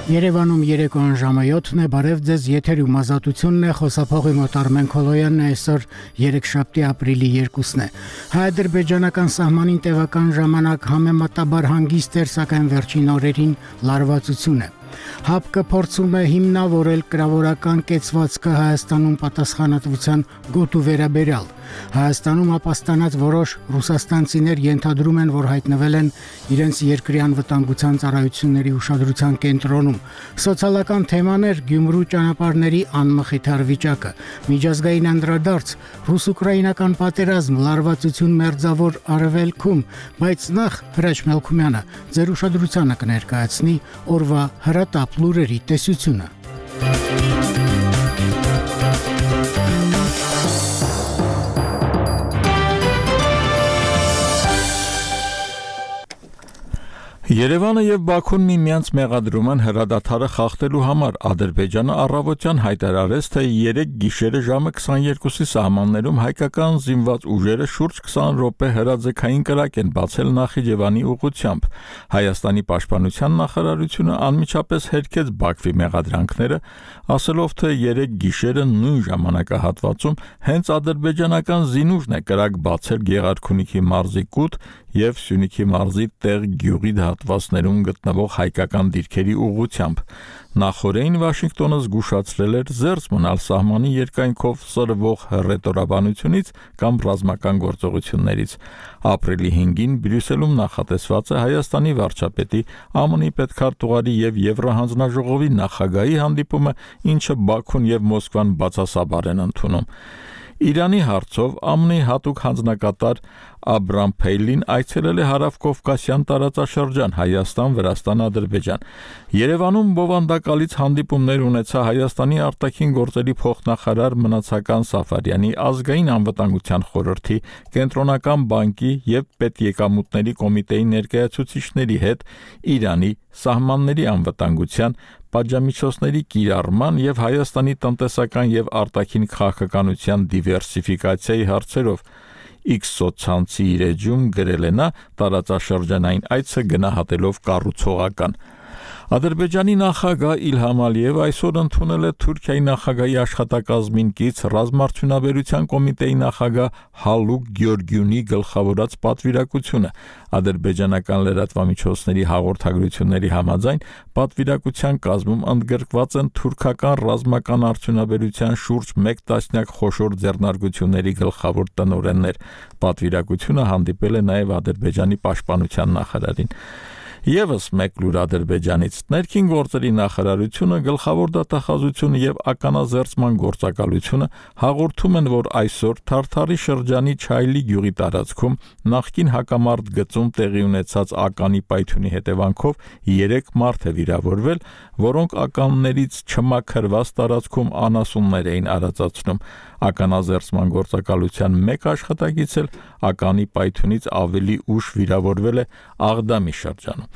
Երևանում երեկոյան ժամը 7-ն է, բարև ձեզ, եթերում ազատությունն է, խոսափողի մոտ Արմեն Քոլոյանն է, այսօր երեքշաբթի ապրիլի 2-ն է։ Հայ-ադրբեջանական սահմանին տևական ժամանակ համեմատաբար հանգիստ էր, սակայն վերջին օրերին լարվածություն է։ ՀԱՊԿ փորձում է հիմնավորել կրավորական կեցվածքը Հայաստանում պատասխանատվության գոտու վերաբերյալ։ Հայաստանում ապաստանած որոշ ռուսաստանցիներ ենթադրում են, որ հայտնվել են իրենց երկրի անվտանգության ծառայությունների ուշադրության կենտրոնում։ Սոցիալական թեմաներ, Գյումրու ճանապարհների անմխիթար վիճակը, միջազգային անդրադարձ, ռուս-ուկրաինական պատերազմ, լարվածություն մերձավոր արևելքում, բայց նախ Հրաչ Մելքումյանը ձեր ուշադրությանը կներկայացնի օրվա հրատապ լուրերի տեսությունը։ Երևանը եւ Բաքուն միմյանց մեղադրում են հրադադարը խախտելու համար։ Ադրբեջանը առավոտյան հայտարարեց, թե 3 գիշերը ժամը 22-ի սահմաններում հայկական զինված ուժերը շուրջ 20 րոպե հրաձգային կրակ են բացել Նախիջևանի ուղղությամբ։ Հայաստանի պաշտպանության նախարարությունը անմիջապես հերքեց Բաքվի մեղադրանքները, ասելով, թե 3 գիշերը նույն ժամանակահատվածում հենց ադրբեջանական զինուժն է կրակ բացել Գեղարքունիքի մարզի Կուտ եւ Սյունիքի մարզի Տեղ գյուղի հատվածներում գտնվող հայկական դիրքերի ուղղությամբ։ Նախորդին Վաշինգտոնը զգուշացրել էր զերծ մնալ սահմանի երկայնքով սրվող հռետորաբանությունից կամ ռազմական գործողություններից։ Ապրիլի 5-ին Բրյուսելում նախատեսված է Հայաստանի վարչապետի, ԱՄՆ-ի պետքարտուղարի եւ Եվրահանձնաժողովի նախագահի հանդիպումը, ինչը Բաքուն եւ Մոսկվան բացասաբար են ընդունում։ Իրանի հարցով ԱՄՆ-ի հատուկ հանձնակատար Աբրամ Փեյլին այցելել է Հարավկովկասյան տարածաշրջան Հայաստան, Վրաստան, Ադրբեջան։ Երևանում բովանդակալից հանդիպումներ ունեցա Հայաստանի արտաքին գործերի փոխնախարար Մնացական Սաֆարյանի, ազգային անվտանգության խորհրդի, Կենտրոնական բանկի եւ պետեկամուտների կոմիտեի ներկայացուցիչների հետ Իրանի սահմանների անվտանգության, պատժամիջոցների կիրառման եւ Հայաստանի տնտեսական եւ արտաքին քաղաքականության դիվերսիֆիկացիայի հարցերով։ X սոցցանցի իր էջում գրել է նա, տարածաշրջանային այցը գնահատելով կառուցողական։ Ադրբեջանի նախագահ Իլհամ Ալիևը այսօր ընդունել է Թուրքիայի նախագահի աշխատակազմին կից ռազմարդյունաբերության կոմիտեի նախագահ Հալուկ Գյորգյունի գլխավորած պատվիրակությունը։ Ադրբեջանական լրատվամիջոցների հաղորդագրությունների համաձայն պատվիրակության կազմում ընդգրկված են թուրքական ռազմական արդյունաբերության շուրջ 1 տասնյակ խոշոր ձեռնարկությունների գլխավոր տնօրեններ։ Պատվիրակությունը հանդիպել է նաև Ադրբեջանի պաշտպանության նախարարին։ Եվս մեկ լուր Ադրբեջանից ներքին գործերի նախարարությունը, գլխավոր դատախազությունը եւ ականազերծման գործակալությունը հաղորդում են, որ այսօր Թարթարի շրջանի Չայլի գյուղի տարածքում նախկին հակամարտ գծում տեղի ունեցած ականի պայթյունի հետևանքով 3 մարդ է վիրավորվել, որոնք ականներից չմաքրված տարածքում անասուններ էին արածացնում։ Ականազերծման գործակալության մեկ աշխատակից էլ ականի պայթյունից ավելի ուշ վիրավորվել է Աղդամի շրջանում։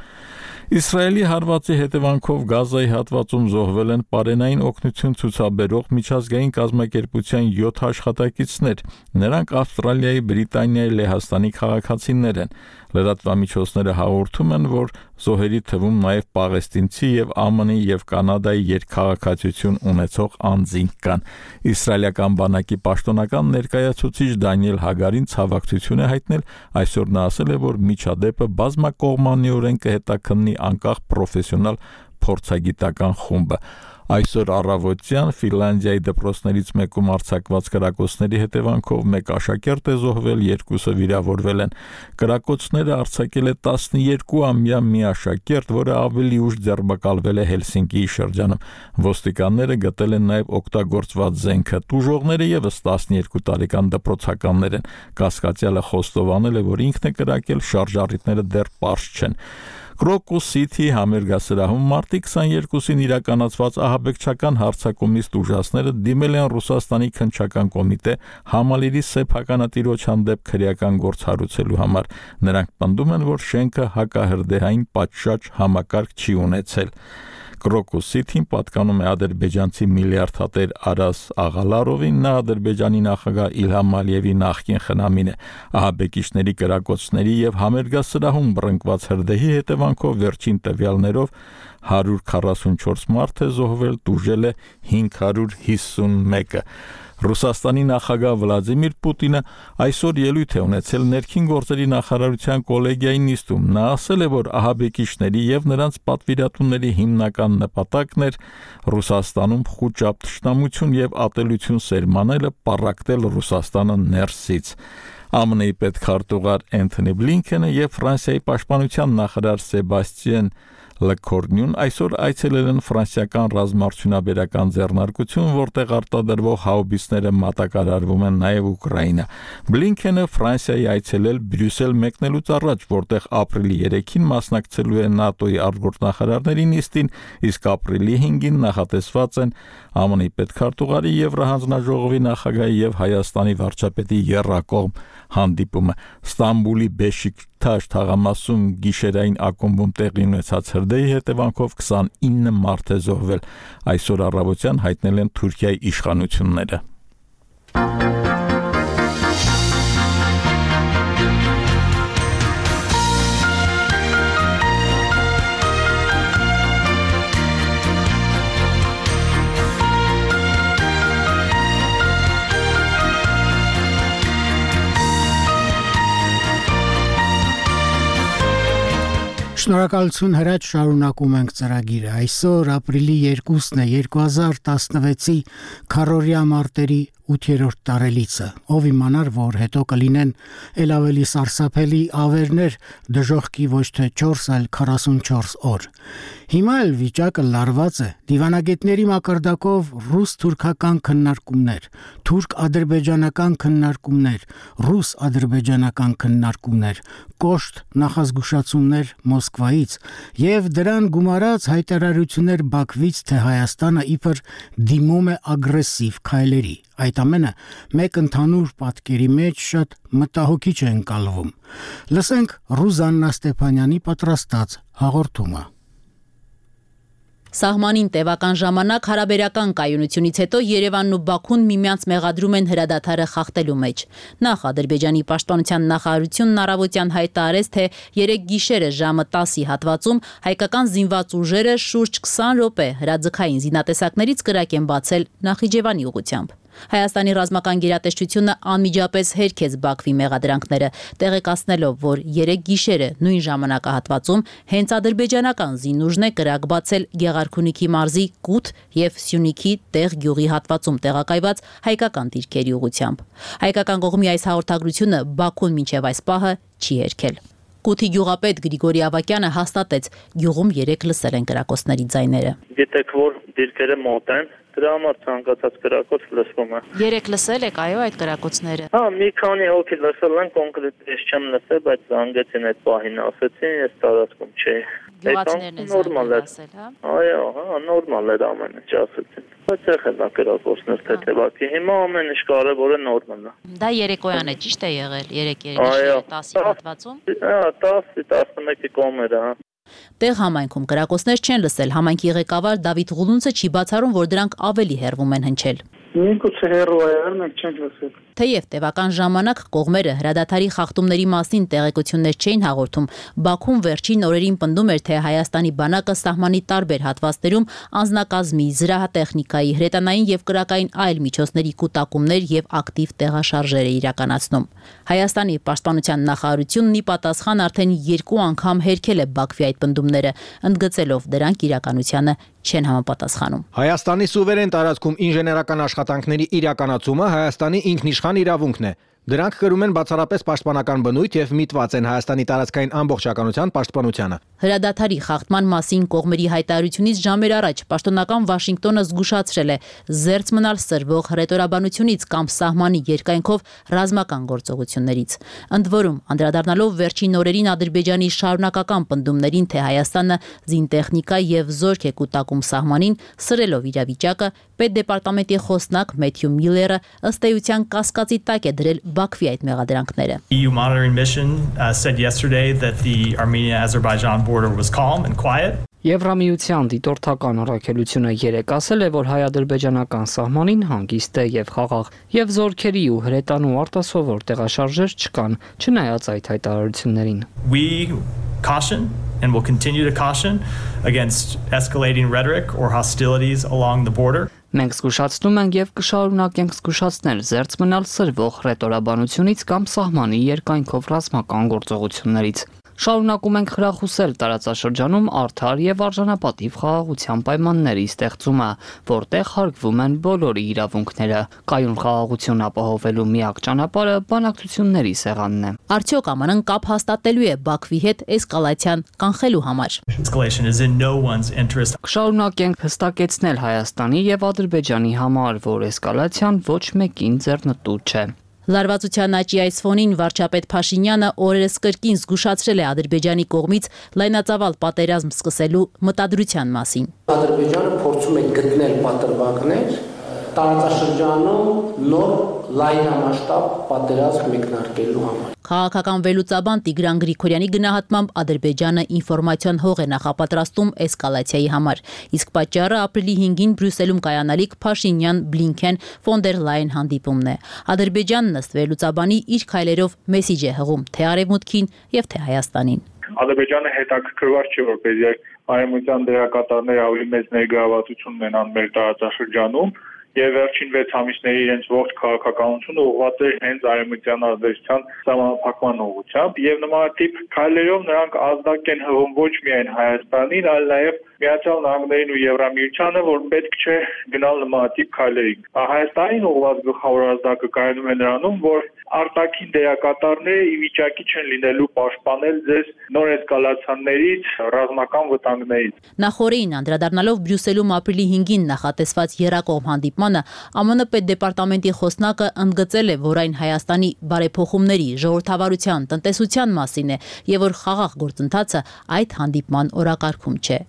Իսրայելի հարվածի հետևանքով Գազայի հատվածում զոհվել են պարենային օգնություն ցուցաբերող միջազգային կազմակերպության 7 աշխատակիցներ։ Նրանք Ավստրալիայի, Բրիտանիայի, Լեհաստանի քաղաքացիներ են։ Լրատվամիջոցները հաղորդում են, որ զոհերի թվում նաև պաղեստինցի եւ ԱՄՆ-ի եւ Կանադայի երկքաղաքացիություն ունեցող անձինք կան։ Իսրայելական բանակի պաշտոնական ներկայացուցիչ Դանիել Հագարին ցավակցություն է հայտնել, այսօր նա ասել է, որ միջադեպը բազմակողմանիորեն կհետաքննի անկախ պրոֆեսիոնալ փորձագիտական խումբը։ Այսօր առավոտյան Ֆինլանդիայի դպրոցներից մեկում արձակված կրակոցների հետևանքով 1 աշակերտ է զոհվել, 2-ը վիրավորվել են։ Կրակոցները արձակել է 12-ամյա մի աշակերտ, որը ավելի ուշ ձերբակալվել է Հելսինկիի շրջանում։ Ոստիկանները գտել են նաև օգտագործված զենքը։ Տուժողները եւս 12 տարեկան դպրոցականներ են։ Կասկածյալը խոստովանել է, որ ինքն է կրակել, շարժառիթները դեռ պարզ չեն։ Crocus City համերգասրահում մարտի 22-ին իրականացված ահաբեկչական հարձակումից տուժածները դիմել են Ռուսաստանի քննչական կոմիտե համալիրի սեփականատիրոջ հանդեպ քրեական գործ հարուցելու համար։ Նրանք պնդում են, որ շենքը հակահրդեհային պատշաճ համակարգ չի ունեցել։ Crocus City-ին պատկանում է ադրբեջանցի միլիարդատեր Արաս Աղալարովին, նա Ադրբեջանի նախագահ Իլհամ Ալիևի նախկին խնամին է։ Ահաբեկիչների կրակոցների եւ համերգասրահում բռնկված հրդեհի հետևանքով վերջին տվյալներով 144 մարդ է զոհվել, տուժել է 551-ը։ Ռուսաստանի նախագահ Վլադիմիր Պուտինը այսօր ելույթ է ունեցել ներքին գործերի նախարարության կոլեգիայի նիստում։ Նա ասել է, որ ահաբեկիչների եւ նրանց պատվիրատուների հիմնական նպատակն էր Ռուսաստանում խուճապ թշնամություն եւ ատելություն սերմանելը, պառակտել Ռուսաստանը ներսից։ ԱՄՆ-ի պետքարտուղար Էնթոնի Բլինքենը եւ Ֆրանսիայի պաշտպանության նախարար Սեբաստիան Լեկորնյուն այսօր այցելել են ֆրանսիական ռազմաարդյունաբերական ձեռնարկություն, որտեղ արտադրվող հաուբիցները մատակարարվում են նաև Ուկրաինա։ Բլինքենը Ֆրանսիայի այցելել Բրյուսել մեկնելուց առաջ, որտեղ ապրիլի 3-ին մասնակցելու է ՆԱՏՕ-ի արտգործնախարարների նիստին, իսկ ապրիլի 5-ին նախատեսված են ԱՄՆ-ի պետքարտուղարի Եվրահանձնաժողովի նախագահի եւ Հայաստանի վարչապետի եռակողմ հանդիպումը։ Ստամբուլի Բեշիկթաշ թաղամասում գիշերային ակումբում տեղի ունեցած հրդեհի հետևանքով 29 մարդ է զոհվել։ Այսօր առավոտյան հայտնել են Թուրքիայի իշխանությունները։ Շնորհակալություն հրաչ, շարունակում ենք ծրագիրը։ Այսօր ապրիլի 2-ն է 2016-ի քառորյա մարտերի 8-րդ տարելիցը։ Ով իմանար, որ հետո կլինեն ել ավելի սարսափելի ավերներ, դժոխքի ոչ թե 4, այլ 44 օր։ Հիմա էլ վիճակը լարված է։ Դիվանագետների մակարդակով ռուս-թուրքական քննարկումներ, թուրք-ադրբեջանական քննարկումներ, ռուս-ադրբեջանական քննարկումներ, կոշտ նախազգուշացումներ Մոսկվայից եւ դրան գումարած հայտարարություններ Բաքվից, թե Հայաստանը իբր դիմում է ագրեսիվ քայլերի։ Այդ ամենը մեկ ընդհանուր պատկերի մեջ շատ մտահոգիչ է ընկալվում։ Լսենք Ռուզաննա Ստեփանյանի պատրաստած հաղորդումը։ Սահմանին տևական ժամանակ հարաբերական կայունությունից հետո Երևանն ու Բաքուն միմյանց մեղադրում են հրադադարը խախտելու մեջ։ Նախ Ադրբեջանի պաշտպանության նախարարությունն առավոտյան հայտարարեց, թե 3 գիշերը ժամը 10-ի հատվածում հայկական զինված ուժերը շուրջ 20 րոպե հրաձգային զինատեսակներից կրակ են բացել Նախիջևանի ուղղությամբ։ Հայաստանի ռազմական գերատեսչությունը անմիջապես հերքեց Բաքվի մեղադրանքները, տեղեկացնելով, որ 3 գիշերը նույն ժամանակահատվածում հենց ադրբեջանական զինուժն է կրակ բացել Գեղարքունիքի մարզի Կութ եւ Սյունիքի Տեղ գյուղի հատվածում տեղակայված հայկական դիրքերի ուղղությամբ։ Հայկական կողմի այս հաղորդագրությունը Բաքուն մինչև այս պահը չի հերքել։ Կութի գյուղապետ Գրիգորի Ավակյանը հաստատեց, գյուղում 3 լսել են կրակոցների ձայները։ Գիտեք, որ դիրքերը մոտ են, դրա համար ցանկացած կրակոց լսվում է։ 3 լսել եք, այո, այդ կրակոցները։ Հա, մի քանի հոգի լսել են, կոնկրետ ես չեմ լսել, բայց զանգեցին այդ պահին, ասեցին, ես տարածքում չէի։ Գյուղացիներն են նորմալ է ասել, հա։ Այո, հա, նորմալ էր ամեն ինչ ասեցին։ Բայց եղել է կրակոցներ թեթևակի։ Հիմա ամեն ինչ կարևորը նորմալ է։ Դա երեկոյան է, ճիշտ է եղել, 3-10-ի հատվածում։ Հա, 10-11-ի կողմերը, հա։ Տեղ համայնքում կրակոցներ չեն լսել, համայնքի ղեկավար Դավիթ Ղուլունցը չի բացառում, որ դրանք ավելի հեռվում են հնչել։ Միգուցե հեռու է, մենք չենք լսել։ Թեև տևական ժամանակ կողմերը հրադադարի խախտումների մասին տեղեկություններ չէին հաղորդում, Բաքուն վերջին օրերին պնդում էր, թե Հայաստանի բանակը սահմանի տարբեր հատվածներում անձնակազմի, զրահատեխնիկայի, հրետանային եւ կրակային այլ միջոցների կուտակումներ եւ ակտիվ տեղաշարժեր է իրականացնում։ Հայաստանի պաշտպանության նախարարությունն ի պատասխան արդեն 2 անգամ հերքել է Բաքվի այդ պնդումները, ընդգծելով դրանք իրականությանը չեն համապատասխանում։ Հայաստանի սուվերեն տարածքում ինժեներական աշխատանքների իրականացումը Հայաստանի ինքնիշխան իրավունքն է։ Դրանք կրում են բացառապես պաշտպանական բնույթ եւ միտված են Հայաստանի տարածքային ամբողջականության պաշտպանությանը։ Հրադադարի խախտման մասին կողմերի հայտարարությունից ժամեր առաջ պաշտոնական Վաշինգտոնը զգուշացրել է զերծ մնալ սրվող հռետորաբանությունից կամ սահմանի երկայնքով ռազմական գործողություններից։ Ընդ որում, անդրադառնալով վերջին օրերին Ադրբեջանի շարունակական պնդումներին, թե Հայաստանը զինտեխնիկա եւ զորք է կուտակում սահմանին, սրելով իրավիճակը, պետդեպարտամենտի խոսնակ Մեթյու Միլլերը ըստ էության կասկածի տակ է դրել Բաքվի այդ մեղադրանքները։ EU monitoring mission said yesterday that the Armenia-Azerbaijan border was calm and quiet. Եվրամիության դիտորդական առաքելությունը երեկ ասել է, որ հայ-ադրբեջանական սահմանին հանգիստ է եւ խաղաղ, եւ զորքերի ու հրետանու արտասովոր տեղաշարժեր չկան, չնայած այդ հայտարարություններին։ We caution and will continue to caution against escalating rhetoric or hostilities along the border. Մենք զգուշացնում ենք եւ կշարունակենք զգուշացնել զերծ մնալ սրվող ռետորաբանությունից կամ սահմանի երկայնքով ռազմական գործողություններից։ Շարունակում ենք խրախուսել տարածաշրջանում արդար եւ արժանապատիվ խաղաղության պայմանների ստեղծումը, որտեղ հարգվում են բոլորի իրավունքները։ Կայուն խաղաղություն ապահովելու միակ ճանապարհը բանակցությունների սեղանն է։ Արդյոք ԱՄՆ-ն կապ հաստատելու է Բաքվի հետ էսկալացիան կանխելու համար։ Escalation is in no one's interest. Շարունակենք հստակեցնել Հայաստանի եւ Ադրբեջանի համար, որ էսկալացիան ոչ մեկին ձեռնտու չէ։ Լարվածության աճի այս ֆոնին վարչապետ Փաշինյանը օրերս կրկին զգուշացրել է Ադրբեջանի կողմից լայնածավալ պատերազմ սկսելու մտադրության մասին։ Ադրբեջանը փորձում է գտնել պատրվակներ տարածաշրջանում նոր լայնամասշտաբ պատերազմ մեկնարկելու համար։ Քաղաքական վերլուծաբան Տիգրան Գրիգորյանի գնահատմամբ Ադրբեջանը ինֆորմացիոն հող է նախապատրաստում էսկալացիայի համար, իսկ պատճառը ապրիլի 5-ին Բրյուսելում կայանալիք Փաշինյան-Բլինքեն ֆոն դեր Լայն հանդիպումն է։ Ադրբեջանն ըստ վերլուծաբանի իր քայլերով մեսիջ է հղում թե Արևմուտքին եւ թե Հայաստանին։ Ադրբեջանը հետաքրքրված չէ, որպեսզի արևմտյան դերակատարները ավելի մեծ ներգրավվածություն ունենան մեր տարածաշրջանում, եւ վերջին 6 ամիսների իրենց ողջ քաղաքականությունը ուղղված է հենց արևմտյան ազդեցության սահմանափակման ուղղությամբ եւ նմանատիպ քայլերով նրանք ազդակ են հղում ոչ միայն Հայաստանին, այլ նաեւ Միացյալ Նահանգներին ու Եվրամիությանը, որ պետք չէ գնալ նմանատիպ քայլերի։ Հայաստանին ուղղված գլխավոր ազդակը կայանում է նրանում, որ արտաքին դերակատարները ի վիճակի չեն լինելու պաշտպանել ձեզ նոր էսկալացիաներից, ռազմական վտանգներից։ Նախորդին անդրադառնալով Բրյուսելում ապրիլի 5-ին նախատեսված եռակողմ հանդիպմանը, ԱՄՆ պետդեպարտամենտի խոսնակը ընդգծել է, որ այն Հայաստանի բարեփոխումների, ժողովրդավարության, տնտեսության մասին է եւ որ խաղաղ գործընթացը այդ հանդիպման օրակարգում չէ։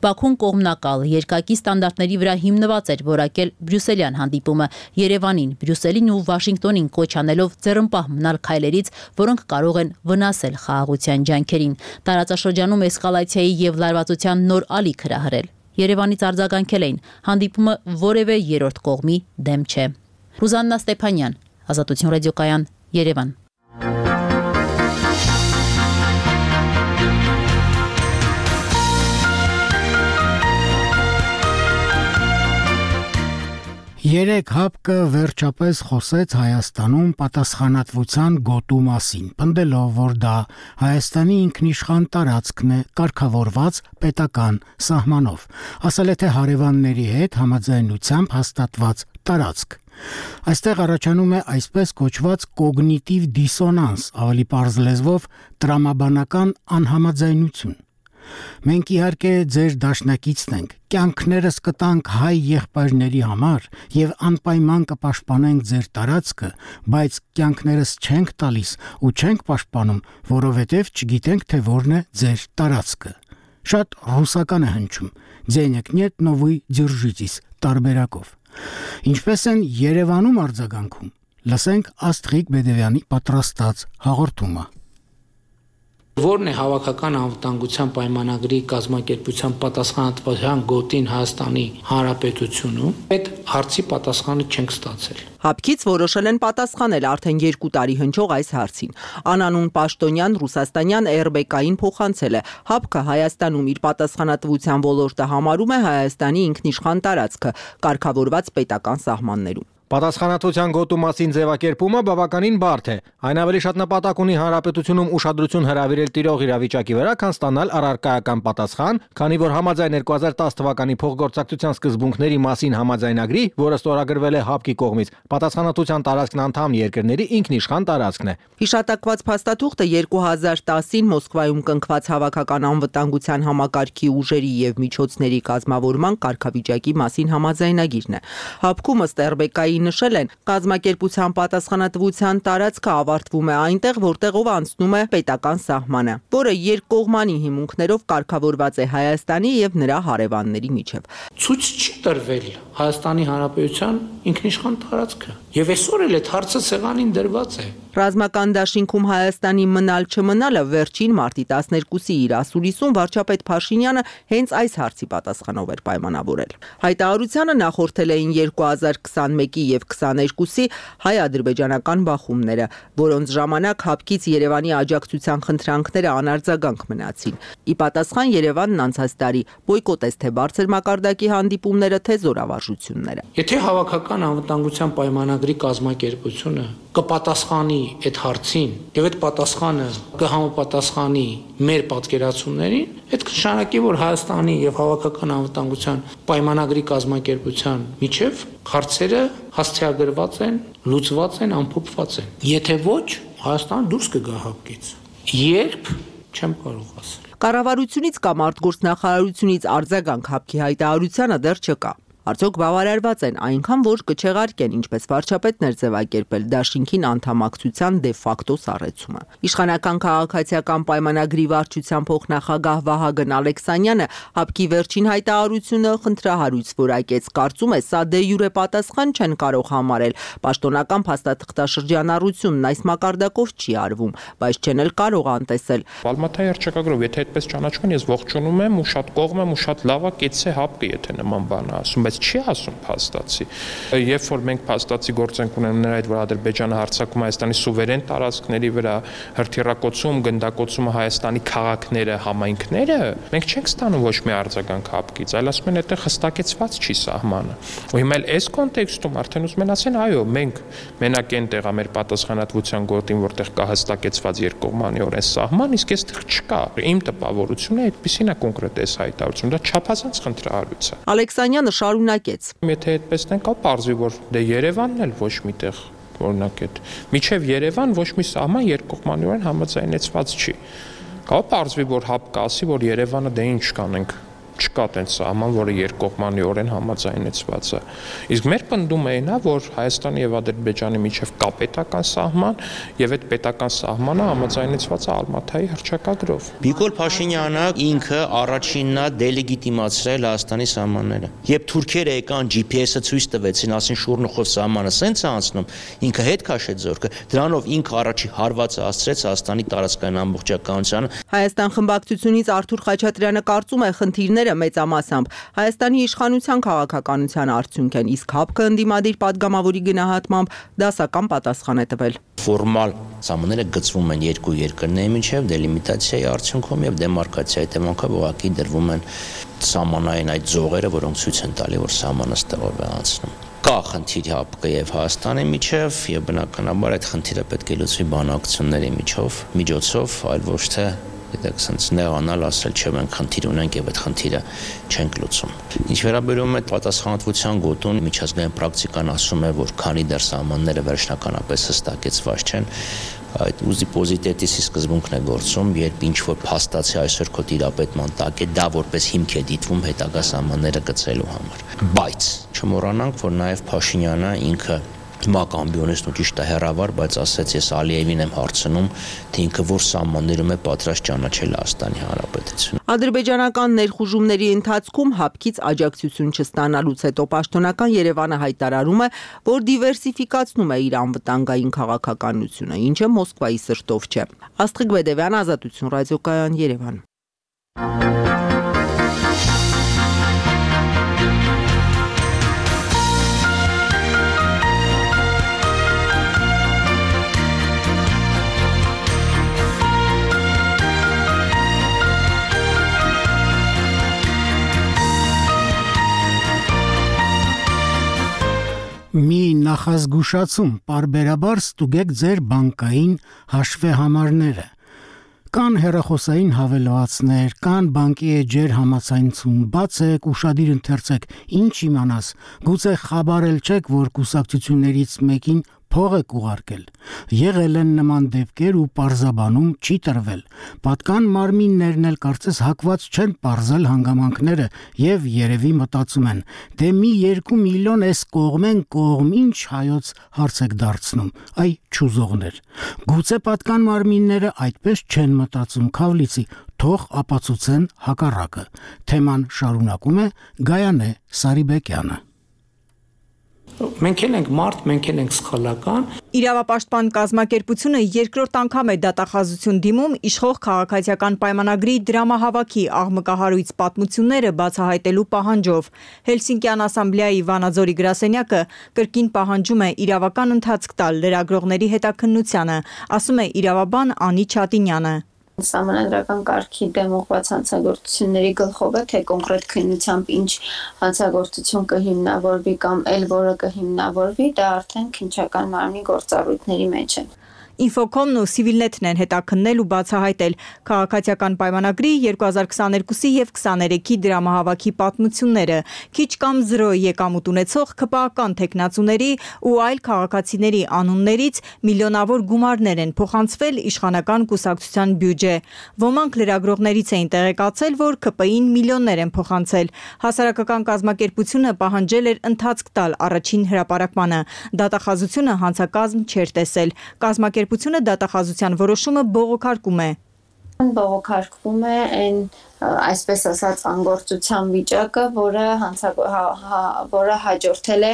Բաքուն կողմնակալ երկակի ստանդարտների վրա հիմնված էր որակել Բրյուսելյան հանդիպումը Երևանին, Բրյուսելին ու Վաշինգտոնին կոչ անելով ձեռնպահ մնալ քայլերից, որոնք կարող են վնասել խաղաղության ջանքերին, տարածաշրջանում էսկալացիայի եւ լարվածության նոր ալիք հրահրել։ Երևանից արձագանքել էին, հանդիպումը որևէ երրորդ կողմի դեմ չէ։ Ռուզաննա Ստեփանյան, Ազատություն ռադիոկայան, Երևան։ Երեք ՀԱՊԿ վերջապես խոսեց Հայաստանում պատասխանատվության գոտու մասին, պնդելով, որ դա Հայաստանի ինքնիշխան տարածքն է կարգավորված պետական սահմանով, ասել է թե հարևանների հետ համաձայնությամբ հաստատված տարածք։ Այստեղ առաջանում է այսպես կոչված կոգնիտիվ դիսոնանս, ավելի պարզ լեզվով տրամաբանական անհամաձայնություն։ Մենք իհարկե ձեր դաշնակիցն ենք, կյանքներս կտանք հայ եղբայրների համար եւ անպայման կպաշտպանենք ձեր տարածքը, բայց կյանքներս չենք տալիս ու չենք պաշտպանում, որովհետեւ չգիտենք թե որն է ձեր տարածքը։ Շատ ռուսական է հնչում, «Ձենեք нет, но вы держитесь» տարբերակով։ Ինչպես են Երևանում արձագանքում։ Լսենք Աստղիկ Բեդևյանի պատրաստած հաղորդումը։ Որն է հավաքական անվտանգության պայմանագրի կազմակերպության պատասխանատվության գոտին Հայաստանի Հանրապետությունում, այդ հարցի պատասխանը չենք ստացել։ ՀԱՊԿ-ից որոշել են պատասխանել արդեն 2 տարի հնչող այս հարցին։ Անանուն պաշտոնյան ռուսաստանյան RBK-ին փոխանցել է։ ՀԱՊԿ-ը Հայաստանում իր պատասխանատվության ոլորտը համարում է Հայաստանի ինքնիշխան տարածքը, կարգավորված պետական սահմաններում։ Պատասխանատվության գոտու մասին ձևակերպումը բավականին բարդ է։ Այն ավելի շատ նպատակ ունի հանրապետությունում ուշադրություն հրավիրել տիրող իրավիճակի վրա, քան ստանալ առարկայական պատասխան, քանի որ համաձայն 2010 թվականի փոխգործակցության սկզբունքների մասին համաձայնագրի, որը ստորագրվել է ՀԱՊԿ-ի կողմից, պատասխանատվության տարածքն անդամ երկրների ինքնիշխան տարածքն է։ Հիշատակված փաստաթուղթը 2010-ին Մոսկվայում կնքված հավաքական անվտանգության համակարգի ուժերի եւ միջոցների կազմավորման կարգավիճակի մասին համաձայնագիրն է։ ՀԱՊԿ-ում ըստ RBK-ի նշել են, կազմակերպության պատասխանատվության տարածքը ավարտվում է այնտեղ, որտեղով անցնում է պետական սահմանը, որը երկկողմանի հիմունքներով կարգավորված է Հայաստանի եւ նրա հարևանների միջև։ Ցույց չի տրվել Հայաստանի Հանրապետության ինքնիշխան տարածքը, եւ այսօր էլ այդ հարցը սեղանին դրված է։ Ռազմական դաշինքում Հայաստանի մնալ չմնալը վերջին մարտի 12-ի իր ասուլիսում վարչապետ Փաշինյանը հենց այս հարցի պատասխանով էր պայմանավորել։ Հայտարարությանը նախորդել էին 2021-ի 21-ի եւ 22-ի հայ-ադրբեջանական բախումները, որոնց ժամանակ ՀԱՊԿ-ից Երևանի աջակցության խնդրանքները անարձագանք մնացին։ Ի պատասխան Երևանն անցած տարի բոյկոտեց թե բարձր մակարդակի հանդիպումները, թե զորավարժությունները։ Եթե հավաքական անվտանգության պայմանագրի կազմակերպությունը կպատասխանի այդ հարցին եւ այդ պատասխանը կհամապատասխանի մեր պատկերացումներին, այդ կնշանակի, որ Հայաստանի եւ հավաքական անվտանգության պայմանագրի կազմակերպության միջև հարցերը հաստատագրված են, լուծված են, ամփոփված են։ Եթե ոչ, Հայաստանը դուրս կգա ՀԱՊԿ-ից։ Երբ չեմ կարող ասել։ Կառավարությունից կամ արտգործնախարարությունից արձագանք ՀԱՊԿ-ի հայտարարությանը դեռ չկա։ Արդյոք բավարարված են այնքան, որ կչեղարկեն, ինչպես վարչապետն էր ձևակերպել, դաշինքին անդամակցության դե ֆակտո սառեցումը։ Իշխանական քաղաքացիական պայմանագրի վարչության փոխնախագահ Վահագն Ալեքսանյանը ՀԱՊԿ-ի վերջին հայտարարությունը խնդրահարույց որակեց, կարծում է, սա դե յուրե պատասխան չեն կարող համարել։ Պաշտոնական փաստաթղթաշրջանառությունն այս մակարդակով չի արվում, բայց չեն էլ կարող անտեսել։ Ալմատայի հռչակագրով, եթե այդպես ճանաչում, ես ողջունում եմ ու շատ կողմ եմ ու շատ լավ է, կեցե ՀԱՊԿ-ը, եթե նման բան ասում, չի ասում փաստացի։ Երբ որ մենք փաստացի գործենք ունենք նրա հետ, որ Ադրբեջանը հարձակում Հայաստանի սուվերեն տարածքների վրա, հրթիռակոծում, գնդակոծում Հայաստանի քաղաքները, համայնքները, մենք չենք ստանում ոչ մի արձագանք ՀԱՊԿ-ից, այլ ասում են այդտեղ հստակեցված չի սահմանը։ Ու հիմա էլ այս կոնտեքստում արդեն ուզում են ասեն, այո, մենք մենակ այնտեղ է մեր պատասխանատվության գոտին, որտեղ կա հստակեցված երկկողմանիորեն սահման, իսկ այստեղ չկա։ Իմ տպավորությունը այդպեսին է կոնկրետ այս հայտարարությունը, դա չափազանց խնդրահարույց է։ Ալեքսանյանը շարունակեց. Եթե այդպես ենք, ապարզվի, որ դե Երևանն էլ ոչ միտեղ օրինակ այդ միջև Երևան ոչ մի սահման երկկողմանիորեն համաձայնեցված չի։ Ապարզվի, որ ՀԱՊԿ-ը ասի, որ Երևանը դե ինչ կանենք, չկա տենց սահման, որը երկկողմանիորեն համաձայնեցված է։ Իսկ մեր պնդումը այն է, որ Հայաստանի եւ Ադրբեջանի միջև կա պետական սահման եւ այդ պետական սահմանը համաձայնեցված է Ալմատայի հռչակագրով։ Նիկոլ Փաշինյանը ինքը առաջինն է դելեգիտիմացրել Հայաստանի սահմանները։ Երբ թուրքերը եկան GPS-ը ցույց տվեցին, ասին Շուռնուխով սահմանը սենց է անցնում, ինքը հետ քաշեց զորքը։ Դրանով ինքը առաջի հարվածը հասցրեց Հայաստանի տարածքային ամբողջականությանը։ Հայաստան խմբակցությունից Արթուր Խաչատրյանը կարծում է, խնդիրները մեծամասամբ Հայաստանի իշխանության քաղաքականության արդյունք են, իսկ ՀԱՊԿ-ը ընդդիմադիր падգամավորի գնահատմամբ դասական պատասխան է տվել։ Ֆորմալ սահմանները գծվում են երկու երկրների միջև դելիմիտացիայի արդյունքում եւ դեմարկացիայի դեմակով ուղղակի դրվում են սահմանային այդ ձողերը, որոնք ցույց են տալի, որ սահմանը ստեղով է անցնում։ Կա խնդիր ՀԱՊԿ-ի եւ Հայաստանի միջև եւ բնականաբար այդ խնդիրը պետք է լուծվի բանակցությունների միջոցով, այլ ոչ թե Դեք sense նեղանալ ասել չէ մենք խնդիր ունենք եւ այդ խնդիրը չենք լուծում։ Ինչ վերաբերում է պատասխանատվության գոտուն, միջազգային պրակտիկան ասում է, որ քանի դեռ սահմանները վերջնականապես հստակեցված չեն, այդ ուզի պոզիտետիսի սկզբունքն է գործում, երբ ինչ որ փաստացի այսօր քո տիրապետման տակ է, դա որպես հիմք է դիտվում հետագա սահմանները գծելու համար։ Բայց չմոռանանք, որ նաեւ Փաշինյանը ինքը Մակամբիոնեսն ու ճիշտ է հեռավար, բայց ասեց ես Ալիևին եմ հարցնում, թե ինքը որ սահմաններում է պատրաստ ճանաչել Հայաստանի Հանրապետությունը։ Ադրբեջանական ներխուժումների ընթացքում ՀԱՊԿ-ից աջակցություն չստանալուց հետո պաշտոնական Երևանը հայտարարում է, որ դիվերսիֆիկացնում է իր անվտանգային քաղաքականությունը, ինչը Մոսկվայի սրտով չէ։ Աստղիկ Բեդևյան, Ազատություն ռադիոկայան, Երևան։ Մի նախազգուշացում, պարբերաբար ստուգեք ձեր բանկային հաշվեհամարները։ Կան հեռախոսային հավելվածներ, կան բանկի էջեր համացանցում, բացեք, ուշադիր ընթերցեք, ինչ իմանաս, գուցե խաբարել չեք, որ կուսակցություններից մեկին փող եք ուղարկել։ Եղել են նման դեպքեր ու պարզաբանում չի տրվել։ Պատկան մարմիններն էլ կարծես հակված չեն պարզել հանգամանքները եւ երևի մտածում են, դե մի 2 միլիոն էս կողմեն կողմ ինչ հայոց հարց եք դարձնում, այ չուզողներ։ Գուցե պատկան մարմինները այդպես չեն մտածում, Քավլիցի, թող ապացուցեն հակառակը։ Թեման շարունակում է Գայանե Սարիբեկյանը։ Մենք էլ ենք մարդ, մենք էլ ենք սխալական։ Իրավապաշտպան կազմակերպությունը երկրորդ անգամ է դատախազություն դիմում իշխող քաղաքացիական պայմանագրի դրամահավաքի աղմկահարույց պատմությունները բացահայտելու պահանջով։ Հելսինկյան ասամբլեայի Վանաձորի գրասենյակը կրկին պահանջում է իրավական ընթացք տալ լրագրողների հետաքննությանը, ասում է իրավաբան Անի Չատինյանը։ Սահմանադրական կարգի դեմ ուղղված հանցագործությունների գլխով է, թե կոնկրետ քննությամբ ինչ հանցագործություն կհիմնավորվի կամ էլ որը կհիմնավորվի, դա արդեն քննչական մարմնի գործառույթների մեջ է։ Ինֆոկոմն ու Civilnet-ն են հետաքննել ու բացահայտել քաղաքացիական պայմանագրի 2022-ի եւ 23-ի դրամահավաքի պատմությունները, քիչ կամ 0 եկամուտ ունեցող ԿՊԱ-ական տեխնացուների ու այլ քաղաքացիների անուններից միլիոնավոր գումարներ են փոխանցվել իշխանական կուսակցության բյուջե։ Ոմանք լրագրողներից էին տեղեկացել, որ ԿՊ-ին միլիոններ են փոխանցել։ Հասարակական կազմակերպությունը պահանջել էր ընթացք տալ առաջին հրապարակմանը։ Դատախազությունը հանցակազմ չէր տեսել։ Կազմակերպությունը դատախազության որոշումը բողոքարկում է։ Բողոքարկվում է այն այսպես ասած անգործության վիճակը, որը հաջորդել է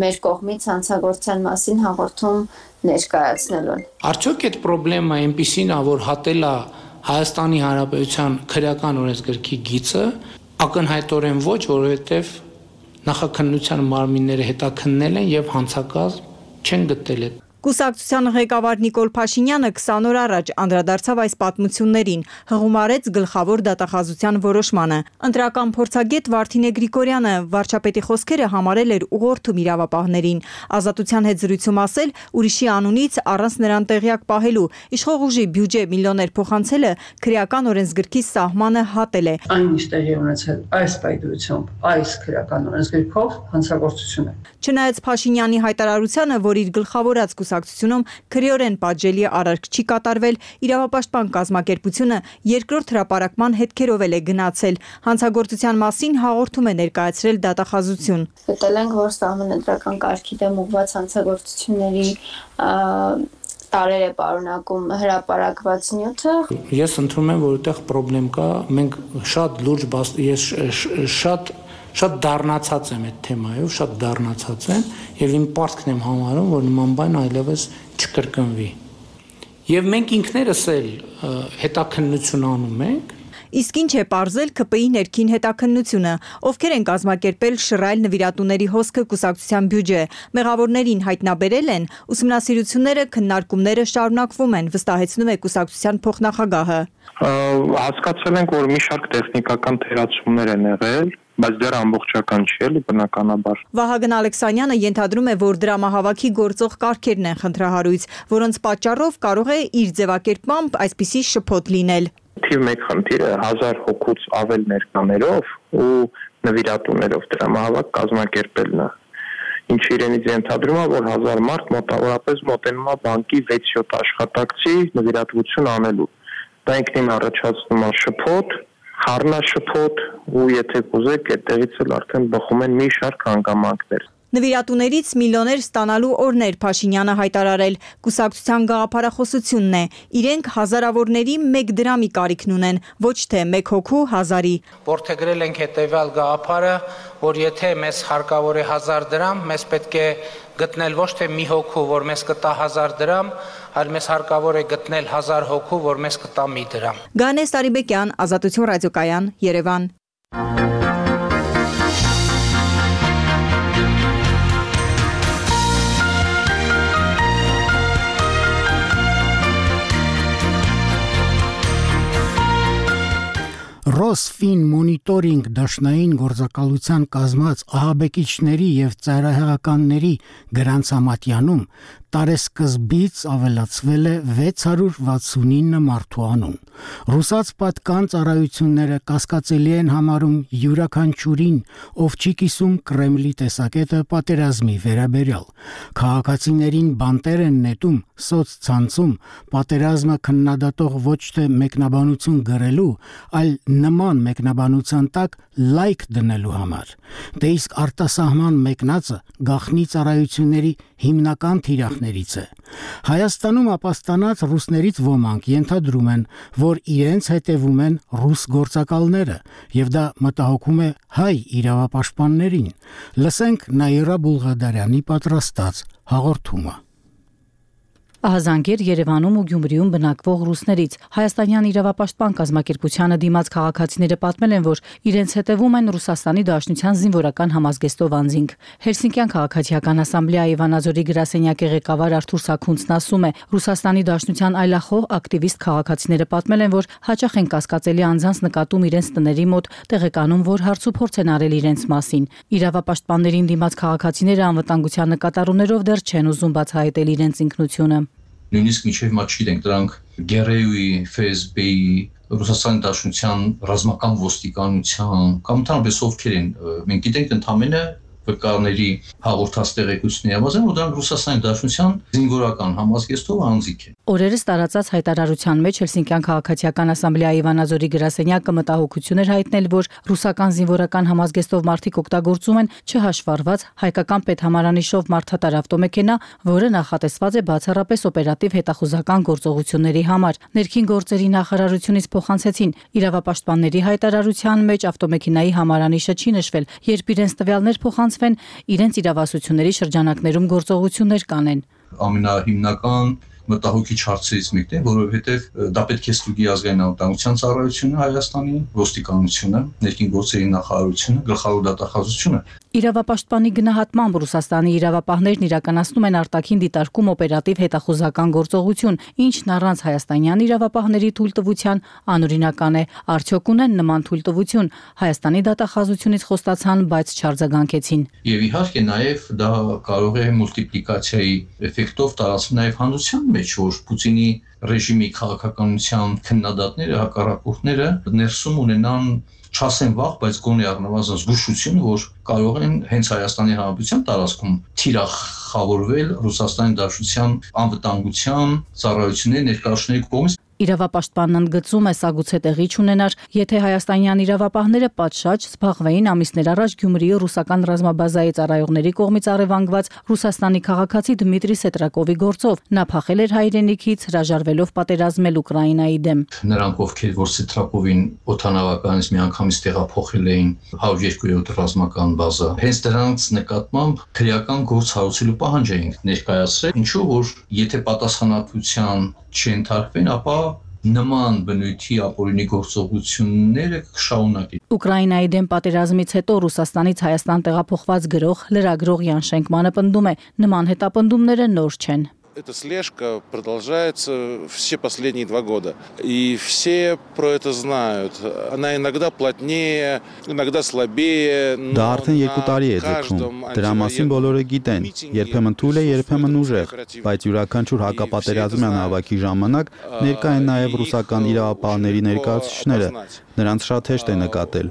մեր կողմից հանցագործության մասին հաղորդում ներկայացնելուն։ Արդյոք այդ խնդրեմը այնպիսին է, որ հատել է Հայաստանի Հանրապետության քրեական օրենսգրքի գիծը, ակնհայտորեն ոչ, որովհետև նախաքննության մարմինները հետաքննել են եւ հանցակազմ չեն գտել։ Կուսակցության ղեկավար Նիկոլ Փաշինյանը 20 օր առաջ անդրադարձավ այս պատմություններին, հղումարեց գլխավոր դատախազության որոշմանը։ Ընտրական փորձագետ Վարդինե Գրիգորյանը վարչապետի խոսքերը համարել էր ուղղորդում իրավապահներին։ Ազատության հետ զրույցում ասել, ուրիշի անունից առանց նրան տեղյակ պահելու իշխող ուժի բյուջե միլիոններ փոխանցելը քրեական օրենսգրքի սահմանը հատել է։ Այն ինչ տեղի ունեցել այս պայմանությամբ, այս քրեական օրենսգրքով հանցագործություն է։ Չնայած Փաշինյանի հայտարարությանը, որ իր գլխավորած կուսակցությունում քրեորեն պատժելի արարք չի կատարվել, իրավապաշտպան կազմակերպությունը երկրորդ հրապարակման հետքերով է գնացել։ Հանցագործության մասին հաղորդում է ներկայացրել դատախազություն։ Գտել ենք, որ սահմանադրական կարգի դեմ ուղղված հանցագործությունների տարեր է պարունակում հրապարակված նյութը։ Ես ընդունում եմ, որ այդտեղ խնդրեմ կա, մենք շատ լուրջ ես շատ դառնացած եմ այդ թեմայով, շատ դառնացած եմ եւ իմ պարտքն եմ համարում, որ նման բան այլևս չկրկնվի։ Եվ մենք ինքներս էլ հետաքննություն անում ենք։ Իսկ ինչ է պարզել ԿՊ-ի ներքին հետաքննությունը, ովքեր են կազմակերպել շռայլ նվիրատուների հոսքը կուսակցության բյուջե, մեղավորներին հայտնաբերել են, ուսումնասիրությունները, քննարկումները շարունակվում են, վստահեցնում է կուսակցության փոխնախագահը։ Հասկացել ենք, որ մի շարք տեխնիկական թերացումներ են եղել, բայց դեռ ամբողջական չի էլի բնականաբար։ Վահագն Ալեքսանյանը ենթադրում է, որ դրամահավաքի գործող կարգերն են խնդրահարույց, որոնց պատճառով կարող է իր ձևակերպմամբ այսպիսի շփոթ լինել։ Թիվ 1 խնդիրը 1000 հոգուց ավել ներկաներով ու նվիրատուներով դրամահավաք կազմակերպելն է։ Ինչը իրենից ենթադրում է, որ 1000 մարդ մոտավորապես մոտենում է բանկի 6-7 աշխատակցի նվիրատվություն անելու։ Դա ինքնին առաջացնում է շփոթ, խառնաշփոթ ու եթե կուզեք այդտեղից էլ արդեն բխում են մի շարք հանգամանքներ։ Նվիրատուներից միլիոներ ստանալու օրներ Փաշինյանը հայտարարել, կուսակցության գաղափարախոսությունն է, իրենք հազարավորների 1 դրամի կարիքն ունեն, ոչ թե 1 հոգու 1000-ի։ Որդեգրել ենք հետևյալ գաղափարը, որ եթե մեզ հարկավոր է 1000 դրամ, մեզ պետք է գտնել ոչ թե մի հոգու, որ մեզ կտա 1000 դրամ, այլ մեզ հարկավոր է գտնել 1000 հոգու, որ մեզ կտա մի դրամ։ Գանե Սարիբեկյան, Ազատություն ռադիոկայան, Երևան։ Ռոսֆին մոնիտորինգ դաշնային գործակալության կազմած ահաբեկիչների եւ ծայրահեղականների գրանցամատյանում տարեսկզբից ավելացվել է 669 մարդու անուն։ Ռուսաց պատկան ծառայությունները կասկածելի են համարում յուրաքանչյուրին, ով չի կիսում Կրեմլի տեսակետը պատերազմի վերաբերյալ։ Քաղաքացիներին բանտեր են նետում սոցցանցում պատերազմը քննադատող ոչ թե մեկնաբանություն գրելու, այլ նման մեկնաբանության տակ լայք դնելու համար։ Դե իսկ արտասահման մեկնածը գաղտնի ծառայությունների հիմնական թիրախ ապրանքներից է։ Հայաստանում ապաստանած ռուսներից ոմանք ենթադրում են, որ իրենց հետևում են ռուս գործակալները, եւ դա մտահոգում է հայ իրավապաշտպաններին։ Լսենք Նաիրա Բուլղադարյանի պատրաստած հաղորդումը։ Ահազանգեր Երևանում ու Գյումրիում բնակվող ռուսներից հայաստանյան իրավապաշտպան կազմակերպությանը դիմաց քաղաքացիները պատմել են, որ իրենց հետևում են Ռուսաստանի Դաշնության զինվորական համազգեստով անձինք։ Հելսինկյան քաղաքացիական ասամբլեայի Վանաձորի գրասենյակի ղեկավար Արթուր Սաքունցն ասում է, Ռուսաստանի Դաշնության այլախոհ ակտիվիստ քաղաքացիները պատմել են, որ հաճախ են կասկածելի անձանց նկատում իրենց տների մոտ, տեղեկանում, որ հարցուփորձ են արել իրենց մասին։ Իրավապաշտպաններին դիմաց քաղաքացիները անվտանգության նկատառումներով դեռ չեն ուզում բացահայտել իրենց ինքնությունը։ Նույնիսկ միջև հիմա չգիտենք դրանք ԳՌՈ-ի, ՖՍԲ-ի, Ռուսաստանի Դաշնության ռազմական ոստիկանության կամ ընդհանրապես ովքեր են, մենք գիտենք ընդամենը վկաների հաղորդած տեղեկությունների համաձայն, որ դրանք Ռուսաստանի Դաշնության զինվորական համազգեստով անձիկ են։ Օրերս տարածած հայտարարության մեջ Հելսինկյան քաղաքացիական ասամբլեայի Վանաձորի գրասենյակը մտահոգություն էր հայտնել, որ ռուսական զինվորական համազգեստով մարդիկ օգտագործում են չհաշվառված հայկական պետհամարանիշով մարդատար ավտոմեքենա, որը նախատեսված է բացառապես օպերատիվ հետախուզական գործողությունների համար։ Ներքին գործերի նախարարությունից փոխանցեցին, իրավապաշտպանների հայտարարության մեջ ավտոմեքենայի համարանիշը չի նշվել, երբ իրենց տվյալներ փոխանցվեն, իրենց իրավասությունների շրջանակներում գործողություններ կանեն։ Ամենահիմնական մտահոգիչ հարցերից մեկն է, որովհետև դա պետք է ստուգի ազգային անվտանգության ծառայությունը Հայաստանի, ոստիկանությունը, ներքին գործերի նախարարությունը, գլխավոր դատախազությունը։ Իրավապաշտպանի գնահատմամբ Ռուսաստանի իրավապահներն իրականացնում են արտաքին դիտարկում օպերատիվ հետախուզական գործողություն, ինչն առանց հայաստանյան իրավապահների թույլտվության անօրինական է։ Արդյոք ունեն նման թույլտվություն, Հայաստանի դատախազությունից խոստացան, բայց չարձագանքեցին։ Եվ իհարկե նաև դա կարող է մուլտիպլիկացիայի էֆեկտով տարածվել նաև հանրության մեջ, որ Պուտինի ռեժիմի քաղաքականության քննադատները, հակառակորդները ներսում ունենան չասեն վաղ, բայց գոնե առնվազն զգուշություն, որ կարող են հենց Հայաստանի Հանրապետության տարածքում թիրախավորվել Ռուսաստանի Դաշնության անվտանգության ծառայությունների ներկայացուցիչների կողմից։ Իրավապաշտպանն ընդգծում է, սա գուցե տեղի չունենար, եթե հայաստանյան իրավապահները պատշաճ զբաղվեին ամիսներ առաջ Գյումրիի ռուսական ռազմաբազայի ծառայողների կողմից առևանգված Ռուսաստանի քաղաքացի Դմիտրի Սետրակովի գործով։ Նա փախել էր հայրենիքից, հրաժարվելով պատերազմել Ուկրաինայի դեմ։ Նրանք, ովքեր որ Սետրակովին օդանավականից միանգամից տեղափոխել էին 102-րդ ռազմական բազա, հենց դրանց նկատմամբ քրեական գործ հարուցելու պահանջ էին ներկայացրել, ինչու որ եթե պատասխանատվության չընթարկվեն, ապա նման բնույթի ապօրինի գործողությունները կշարունակեն։ Ուկրաինայի դեմ պատերազմից հետո Ռուսաստանից Հայաստան տեղափոխված գրող, լրագրող Յան Շենկմանը պնդում է, նման հետապնդումները նոր չեն։ Эта слежка продолжается все последние 2 года. И все про это знают. Она иногда плотнее, иногда слабее. Դա արդեն 2 տարի է ձգվում։ Դրա մասին բոլորը գիտեն։ Երբեմն թույլ է, երբեմն ուժեղ, բայց յուրաքանչյուր հակապատերազմյան հավաքի ժամանակ ներկա են նաև ռուսական իրավապահների ներկայացուցիչները։ Նրանց շատ հեշտ է նկատել։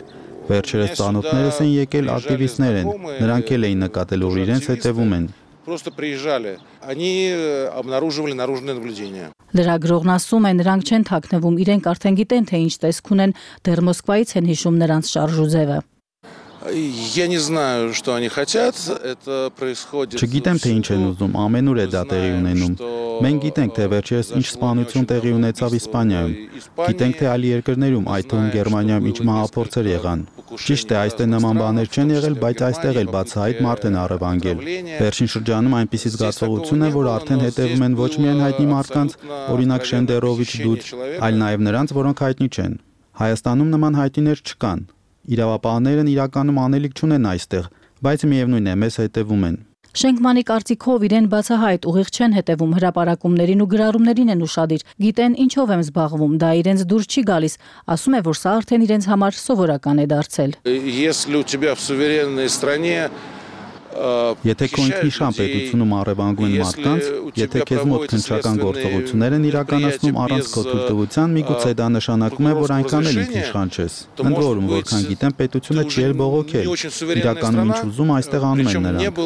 Վերջերս ծանոթներս են եկել ակտիվիստներ են։ Նրանք էլ էին նկատել, որ իրենց հետևում են։ Просто приезжали. Они обнаруживали наружное наблюдение. Լրագրողն ասում է, նրանք չեն թաքնվում, իրենք արդեն գիտեն, թե ինչ տեսք ունեն, դեռ Մոսկվայից են հիշում նրանց շարժուձևը։ Я не знаю, что они хотят. Это происходит. Չգիտեմ, թե ինչ են ուզում, ամենուր է դա տեղի ունենում։ Մենք գիտենք, թե վերջերս ինչ սպանություն տեղի ունեցավ Իսպանիայում։ Գիտենք, թե այլ երկրներում, այդ թվում Գերմանիայում ինչ մահափորձեր եղան։ Ճիշտ է, այստեղ նման բաներ չեն եղել, բայց այստեղ էլ բացահայտ մարդ են առևանգել։ Վերջին շրջանում այնպիսի զգացողություն է, որ արդեն հետևում են ոչ միայն հայտնի մարդկանց, օրինակ Շենդերովիչ Դուդ, այլ նաև նրանց, որոնք հայտնի չեն։ Հայաստանում նման հայտնիներ չկան։ Իրավապահներն իրականում անելիք չունեն այստեղ, բայց միևնույն է, մեզ հետևում են։ Շենկմանի կարծիքով իրեն բացահայտ ուղիղ չեն հետևում, հրապարակումներին ու գրառումներին են ուշադիր։ Գիտեն ինչով եմ զբաղվում, դա իրենց դուր չի գալիս։ Ասում է, որ սա արդեն իրենց համար սովորական է դարձել։ Если у тебя в суверенной стране Եթե քո ինքնիշխան պետությունում առևանգում են մարդկանց, եթե քեզ մոտ քննչական գործողություններ են իրականացնում առանց քո թույլտվության, միգուցե դա նշանակում է, որ այնքան էլ ինքնիշխան չես։ Ընդ որում, որքան գիտեմ, պետությունը չի էլ բողոքել։ Իրականում ինչ ուզում այստեղ անում են նրանք։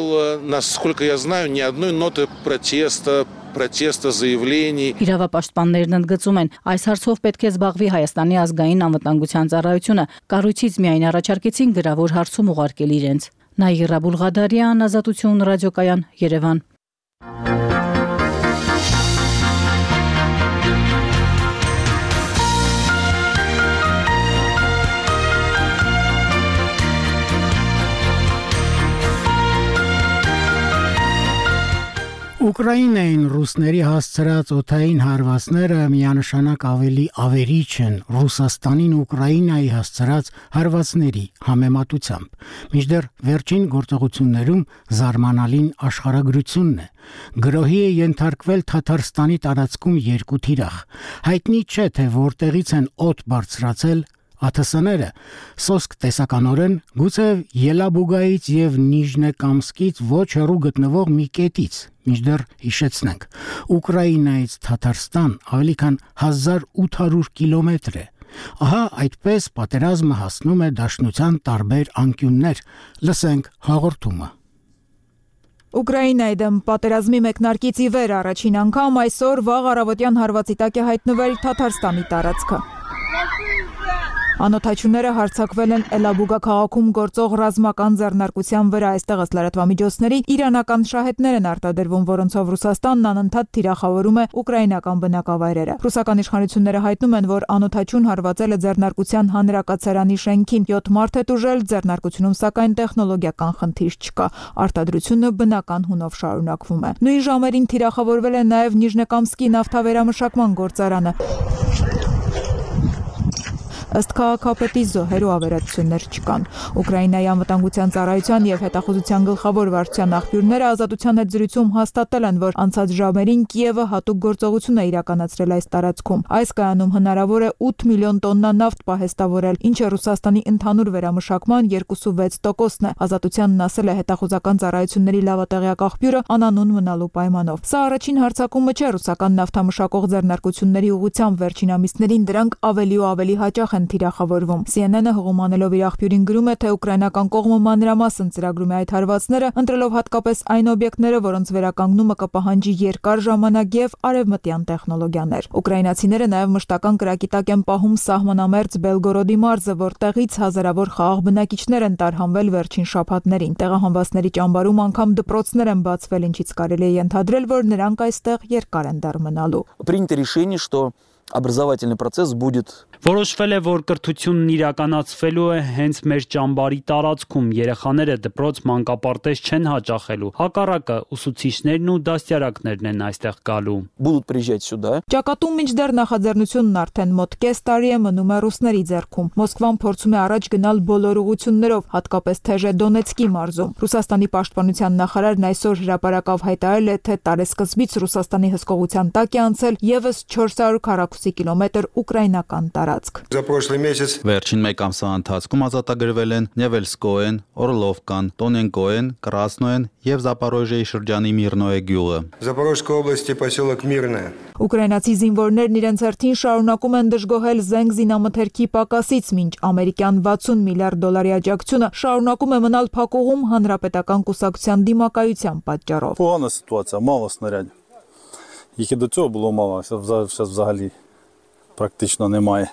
Насколько я знаю, ни одной ноты протеста, заявлений. Իրավապաշտպաններն ընդգծում են, այս հարցով պետք է զբաղվի Հայաստանի ազգային անվտանգության ծառայությունը։ Կառույցից միայն առաջարկեցին գրավոր հարցում ուղարկել իրենց։ Նաիրա Բուլղադարյան, Ազատություն ռադիոկայան, Երևան։ Ուկրաինային ռուսների հասցրած օդային հարվածները միանշանակ ավելի ավերիչ են Ռուսաստանին Ուկրաինայի հասցրած հարվածների համեմատությամբ։ Մինչդեռ վերջին գործողություններում զարմանալին աշխարհագրությունն է։ Գրոհի է ենթարկվել Թաթարստանի տարածքում 2 թիրախ։ Հայտնի չէ, թե որտեղից են օդ բարձրացել ԱԹՍ-ները, սոսկ տեսականորեն գուցե Ելաբուգայից եւ Նիժնեկամսկից ոչ հեռու գտնվող մի կետից, մինչդեռ հիշեցնենք, Ուկրաինայից Թաթարստան ավելի քան 1800 կիլոմետր է։ Ահա այդպես պատերազմը հասնում է դաշնության տարբեր անկյուններ։ Լսենք հաղորդումը։ Ուկրաինայի դեմ պատերազմի մեկնարկից ի վեր առաջին անգամ այսօր վաղ առավոտյան հարվածի տակ է հայտնվել Թաթարստանի տարածքը։ Անօթաչուները հարձակվել են Էլաբուգա քաղաքում գործող ռազմական ձեռնարկության վրա, այստեղ ըստ լրատվամիջոցների իրանական շահեդներ են արտադրվում, որոնցով Ռուսաստանն անընդհատ թիրախավորում է ուկրաինական բնակավայրերը։ Ռուսական իշխանությունները հայտնում են, որ անօթաչուն հարվածել է ձեռնարկության հանրակացարանի շենքին, 7 մարդ է տուժել, ձեռնարկությունում սակայն տեխնոլոգիական խնդիր չկա։ Արտադրությունը բնական հունով շարունակվում է։ Նույն ժամերին թիրախավորվել է նաև Նիժնեկամսկի նավթավերամշակման գործարանը։ Ըստ քաղաքապետի զոհեր ու ավերածություններ չկան։ Ուկրաինայի անվտանգության ծառայության եւ հետախուզության գլխավոր վարչության աղբյուրները Ազատության հետ զրույցում հաստատել են, որ անցած ժամերին Կիևը հատուկ գործողություն է իրականացրել այս տարածքում։ Այս կայանում հնարավոր է 8 միլիոն տոննա նավթ պահեստավորել, ինչը Ռուսաստանի ընդհանուր վերամշակման 2.6%-ն է։ Ազատությանն ասել է հետախուզական ծառայությունների լավատեղյակ աղբյուրը անանուն մնալու պայմանով։ Սա առաջին հարձակումը չէ ռուսական նավթամշակող ձեռնարկությունների ուղղությամբ, վերջին ամիսներին դրանք ավելի ու ավելի հաճախ թիրախավորվում։ CNN-ը հղումանելով իր աղբյուրին գրում է, թե ուկրաինական կողմը մանրամասն ծրագրում է այդ հարվածները, ընտրելով հատկապես այն օբյեկտները, որոնց վերականգնումը կպահանջի երկար ժամանակ եւ արևմտյան տեխնոլոգիաներ։ Ուկրաինացիները նաեւ մշտական կրակի տակ են պահում սահմանամերձ Բելգորոդի մարզը, որտեղից հազարավոր խաղաղ բնակիչներ են տարհանվել վերջին շաբաթներին։ Տեղահանվածների ճամբարում անգամ դպրոցներ են բացվել, ինչից կարելի է ենթադրել, որ նրանք այստեղ երկար են դեռ մնալու։ Принято решение, что образовательный процесс будет. Որոշվել է, որ կրթությունն իրականացվելու է հենց մեր ճամբարի տարածքում, երեխաները դպրոց մանկապարտեզ չեն հաճախելու, հակառակը ուսուցիչներն ու դաստիարակներն են այստեղ գալու։ Будут приезжать сюда. Ճակատում մինչդեռ նախաձեռնությունն արդեն մոտ կես տարի է մնում է ռուսների ձեռքում։ Մոսկվան փորձում է առաջ գնալ բոլոր ուղղություններով, հատկապես թեժե Դոնեցկի մարզում։ Ռուսաստանի պաշտպանության նախարարն այսօր հրապարակավ հայտարարել է, թե տարեսկզբից Ռուսաստանի հսկողության տակ է անցել եւս 400 քառակուսի կիլոմետր ուկրաինական Վերջին մեկ ամսվա ընթացքում ազատագրվել են Նևելսկոեն, Օրլովկան, Տոնենկոեն, Կրասնոեն եւ Զապորոժիայի շրջանի Միրնոե գյուղը։ Ուկրաինացի զինվորներն իրենց հերթին շարունակում են դժգոհել զենք զինամթերքի պակասից, մինչ ամերիկյան $60 միլիարդ աջակցությունը շարունակում է մնալ փակուղում հանրապետական կուսակցության դիմակայության պատճառով։ Погана ситуація, мало снарядів. Їх і до цього було мало, зараз взагалі практично немає.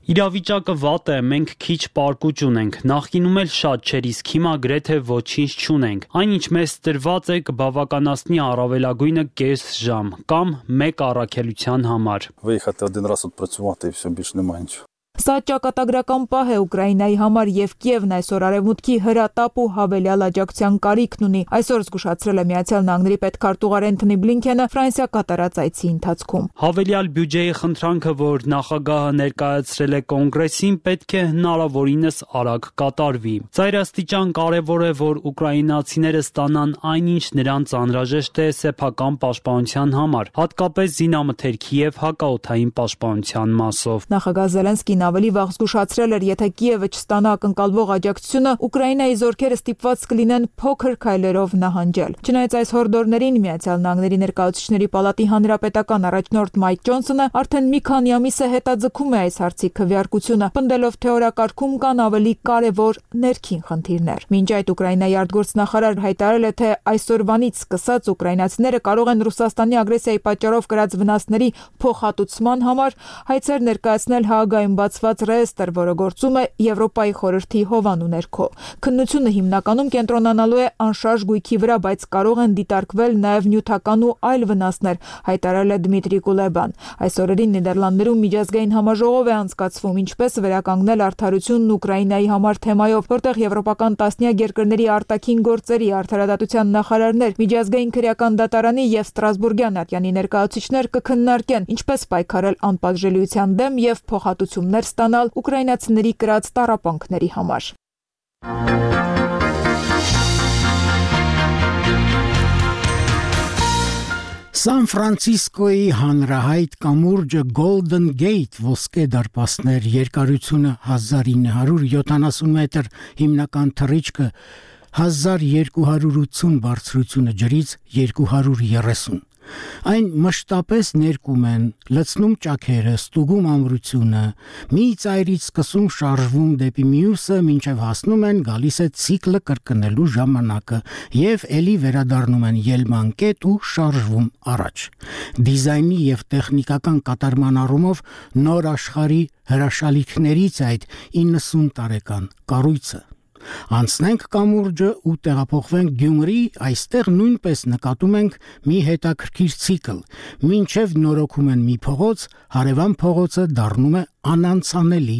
Իրավիճակը վատ է, մենք քիչ պարկուճ ունենք, նախկինում էլ շատ չէր, իսկ հիմա գրեթե ոչինչ չունենք։ Այն ինչ մեզ տրված է կբավականացնի առավելագույնը կես ժամ կամ մեկ առաքելության համար։ Виїхати один раз відпрацювати і все, більше немає нічого. Սա ճակատագրական պահ է Ուկրաինայի համար եւ Կիևն այսօր արևմուտքի հրատապ ու հավելյալ աջակցության կարիքն ունի։ Այսօր զգուշացրել է Միացյալ Նահանգների պետքարտուղար Էնթոնի Բլինքենը Ֆրանսիա կատարած այցի ընթացքում։ Հավելյալ բյուջեի խնդրանքը, որ նախագահը ներկայացրել է կոնգրեսին, պետք է հնարավորինս արագ կատարվի։ Ծայրաստիճան կարևոր է, որ ուկրաինացիները ստանան այնինչ նրանց անհրաժեշտ է սեփական պաշտպանության համար, հատկապես զինամթերքի եւ հակաօդային պաշտպանության մասով։ Նախագահ Զելենսկին ավելի վաղ զգուշացրել էր, եթե Կիևը չստանա ակնկալվող աջակցությունը, Ուկրաինայի զորքերը ստիպված կլինեն փոքր քայլերով նահանջել։ Չնայած այս հորդորներին Միացյալ Նահանգների ներկայացուցիչների պալատի հանրապետական առաջնորդ Մայք Ջոնսոնը արդեն մի քանի ամիս է հետաձգում է այս հարցի քվեարկությունը, պնդելով, թե օրակարգում կան ավելի կարևոր ներքին խնդիրներ։ Մինչ այդ Ուկրաինայի արտգործնախարար հայտարարել է, թե այսօրվանից սկսած ուկրաինացիները կարող են Ռուսաստանի ագրեսիայի պատճառով կրած վնասների փոխհատուցման համար հայցեր ներկայացնել Հաագայում բացված կառուցված ռեեստր, որը գործում է Եվրոպայի խորհրդի հովանու ներքո։ Քննությունը հիմնականում կենտրոնանալու է անշարժ գույքի վրա, բայց կարող են դիտարկվել նաև նյութական ու այլ վնասներ, հայտարարել է Դմիտրի Կուլեբան։ Այս օրերին Նիդերլանդներում միջազգային համաժողով է անցկացվում, ինչպես վերականգնել արդարությունն Ուկրաինայի համար թեմայով, որտեղ եվրոպական տասնյակ երկրների արտաքին գործերի արդարադատության նախարարներ, միջազգային քրեական դատարանի եւ Ստրասբուրգյան ատյանի ներկայացուցիչներ կքննարկեն ինչպես պայքարել անպատժելիության դեմ եւ փոխհատուցումներ ստանալ ուկրաինացիների կրած տառապանքների համար։ Սան Ֆրանցիսկոյի հանրահայտ կամուրջը Golden Gate ոսկե դարպասներ, երկարությունը 1970 մետր, հիմնական թռիչքը 1280 բարձրությունը ջրից 230։ Այն մշտապես ներկում են, լցնում ճաքերը, ստուգում ամրությունը, մի ծայրից սկսում շարժվում դեպի մյուսը, մինչև հասնում են, գալիս է ցիկլը կրկնելու ժամանակը եւ էլի վերադառնում են ելման կետ ու շարժվում առաջ։ Դիզայնի եւ տեխնիկական կատարման առումով նոր աշխարհի հրաշալիքներից այդ 90 տարեկան կառույցը։ Անցնենք կամուրջը ու տեղափոխվենք Գյումրի, այստեղ նույնպես նկատում ենք մի հետաքրքիր ցիկլ, մինչև նորոգում են մի փողոց, հարևան փողոցը դառնում է անանցանելի։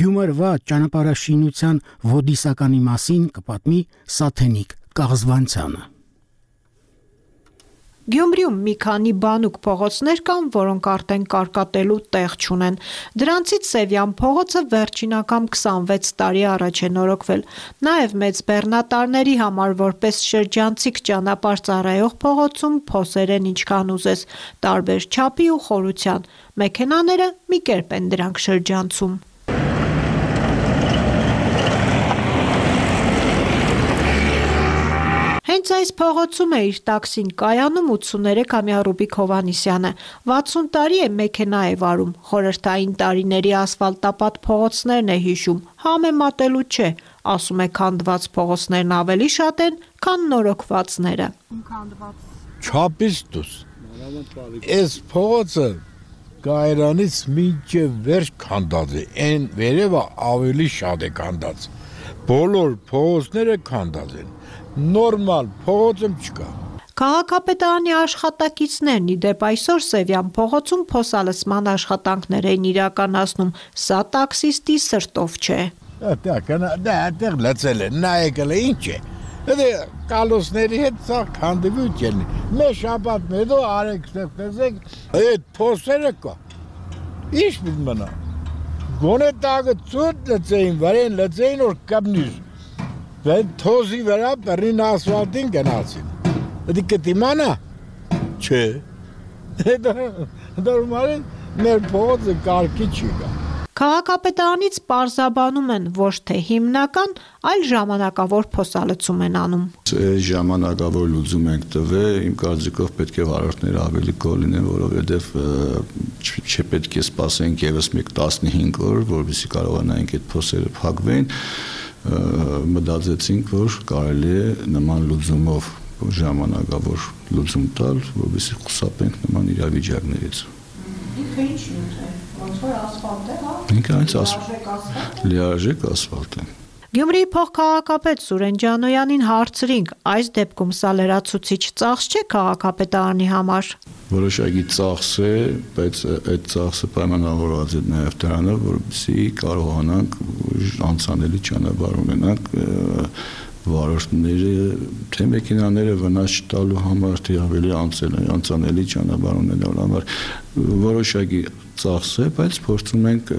Գյումրվա ճանապարհաշինության ոդիսականի մասին կպատմի Սաթենիկ Կաղզվանցյանը։ Գյումրիում մի քանի բանուկ փողոցներ կան, որոնք արդեն կարկատելու տեղ չունեն։ Դրանցից Սևյան փողոցը վերջին անգամ 26 տարի առաջ է նորոգվել։ Նաև Մեծ Բեռնատարների համար որպես շրջանցիկ ճանապարհ ծառայող փողոցում փոսեր են ինչքան ուզես, տարբեր չափի ու խորության։ Մեքենաները մի կերպ են դրանք շրջանցում։ Հենց այս փողոցում է իր տաքսին կայանում 83-ամյա Ռուբիկ Հովհաննիսյանը։ 60 տարի է մեքենա է վարում, խորհրդային տարիների ասֆալտապատ փողոցներն է հիշում, համեմատելու չէ, ասում է քանդված փողոցներն ավելի շատ են, քան նորոգվածները։ Չափից դուրս։ Այս փողոցը Կայարանից մինչև վերջ քանդած է, այն վերևը ավելի շատ է քանդած։ Բոլոր փողոցները քանդած են։ Նորմալ փողոցում չկա։ Քաղաքապետարանի աշխատակիցներն ի դեպ այսօր Սևյան փողոցում փոսալցման աշխատանքներ են իրականացնում, սա տաքսիստի սրտով չէ։ Այդտեղ լցել է, նայեկել է, ինչ է։ Դա կալոսների հետ սա քանդվիչ են։ Մեր շաբաթ հետո արեք տեսեք, այդ փոսերը կա։ Ինչ պիտի մնա։ Գոնե տակը ծուտ լցեին, վրեն լցեին, որ կապնիր։ Վեն թոզի վրա բռին ասֆալտին գնացին։ Դա կտիմանա։ Չէ։ Դա ուրմալին մեր փողոցը կարգի չի գա։ Քաղաքապետարանից պարզաբանում են ոչ թե հիմնական, այլ ժամանակավոր փոսալցում են անում։ Ժամանակավոր լուծում ենք տվել, իմ կարծիքով պետք է վարորդները ավելի գոհ լինեն, որովհետև չպետք է սպասենք ևս 15 օր, որովհետեւ կարողանանք այդ փոսերը փակվեն։ Մտածեցինք, որ կարելի է նման լուծումով ժամանակավոր լուծում տալ, որովհետեւ խուսափենք նման իրավիճակներից։ Ինքը ինչ է, ոնց որ ասֆալտ է, հա։ Ինքը այնց ասֆալտ։ Լիարժեք ասֆալտ է։ Գյումրիի փոխքաղաքապետ Սուրեն Ջանոյանին հարցրինք, այս դեպքում սա լրացուցիչ ծախս չէ քաղաքապետարանի համար։ Որոշակի ծախս է, բայց այդ ծախսը պայմանավորված է նաև դրանով, որպեսզի կարողանանք անցանելի ճանապարհ ունենանք վարորդները, թե մեքենաները վնաս չտալու համար, թե ավելի անցանելի ճանապարհ ունենալու համար որոշակի ծախս է, բայց փորձում ենք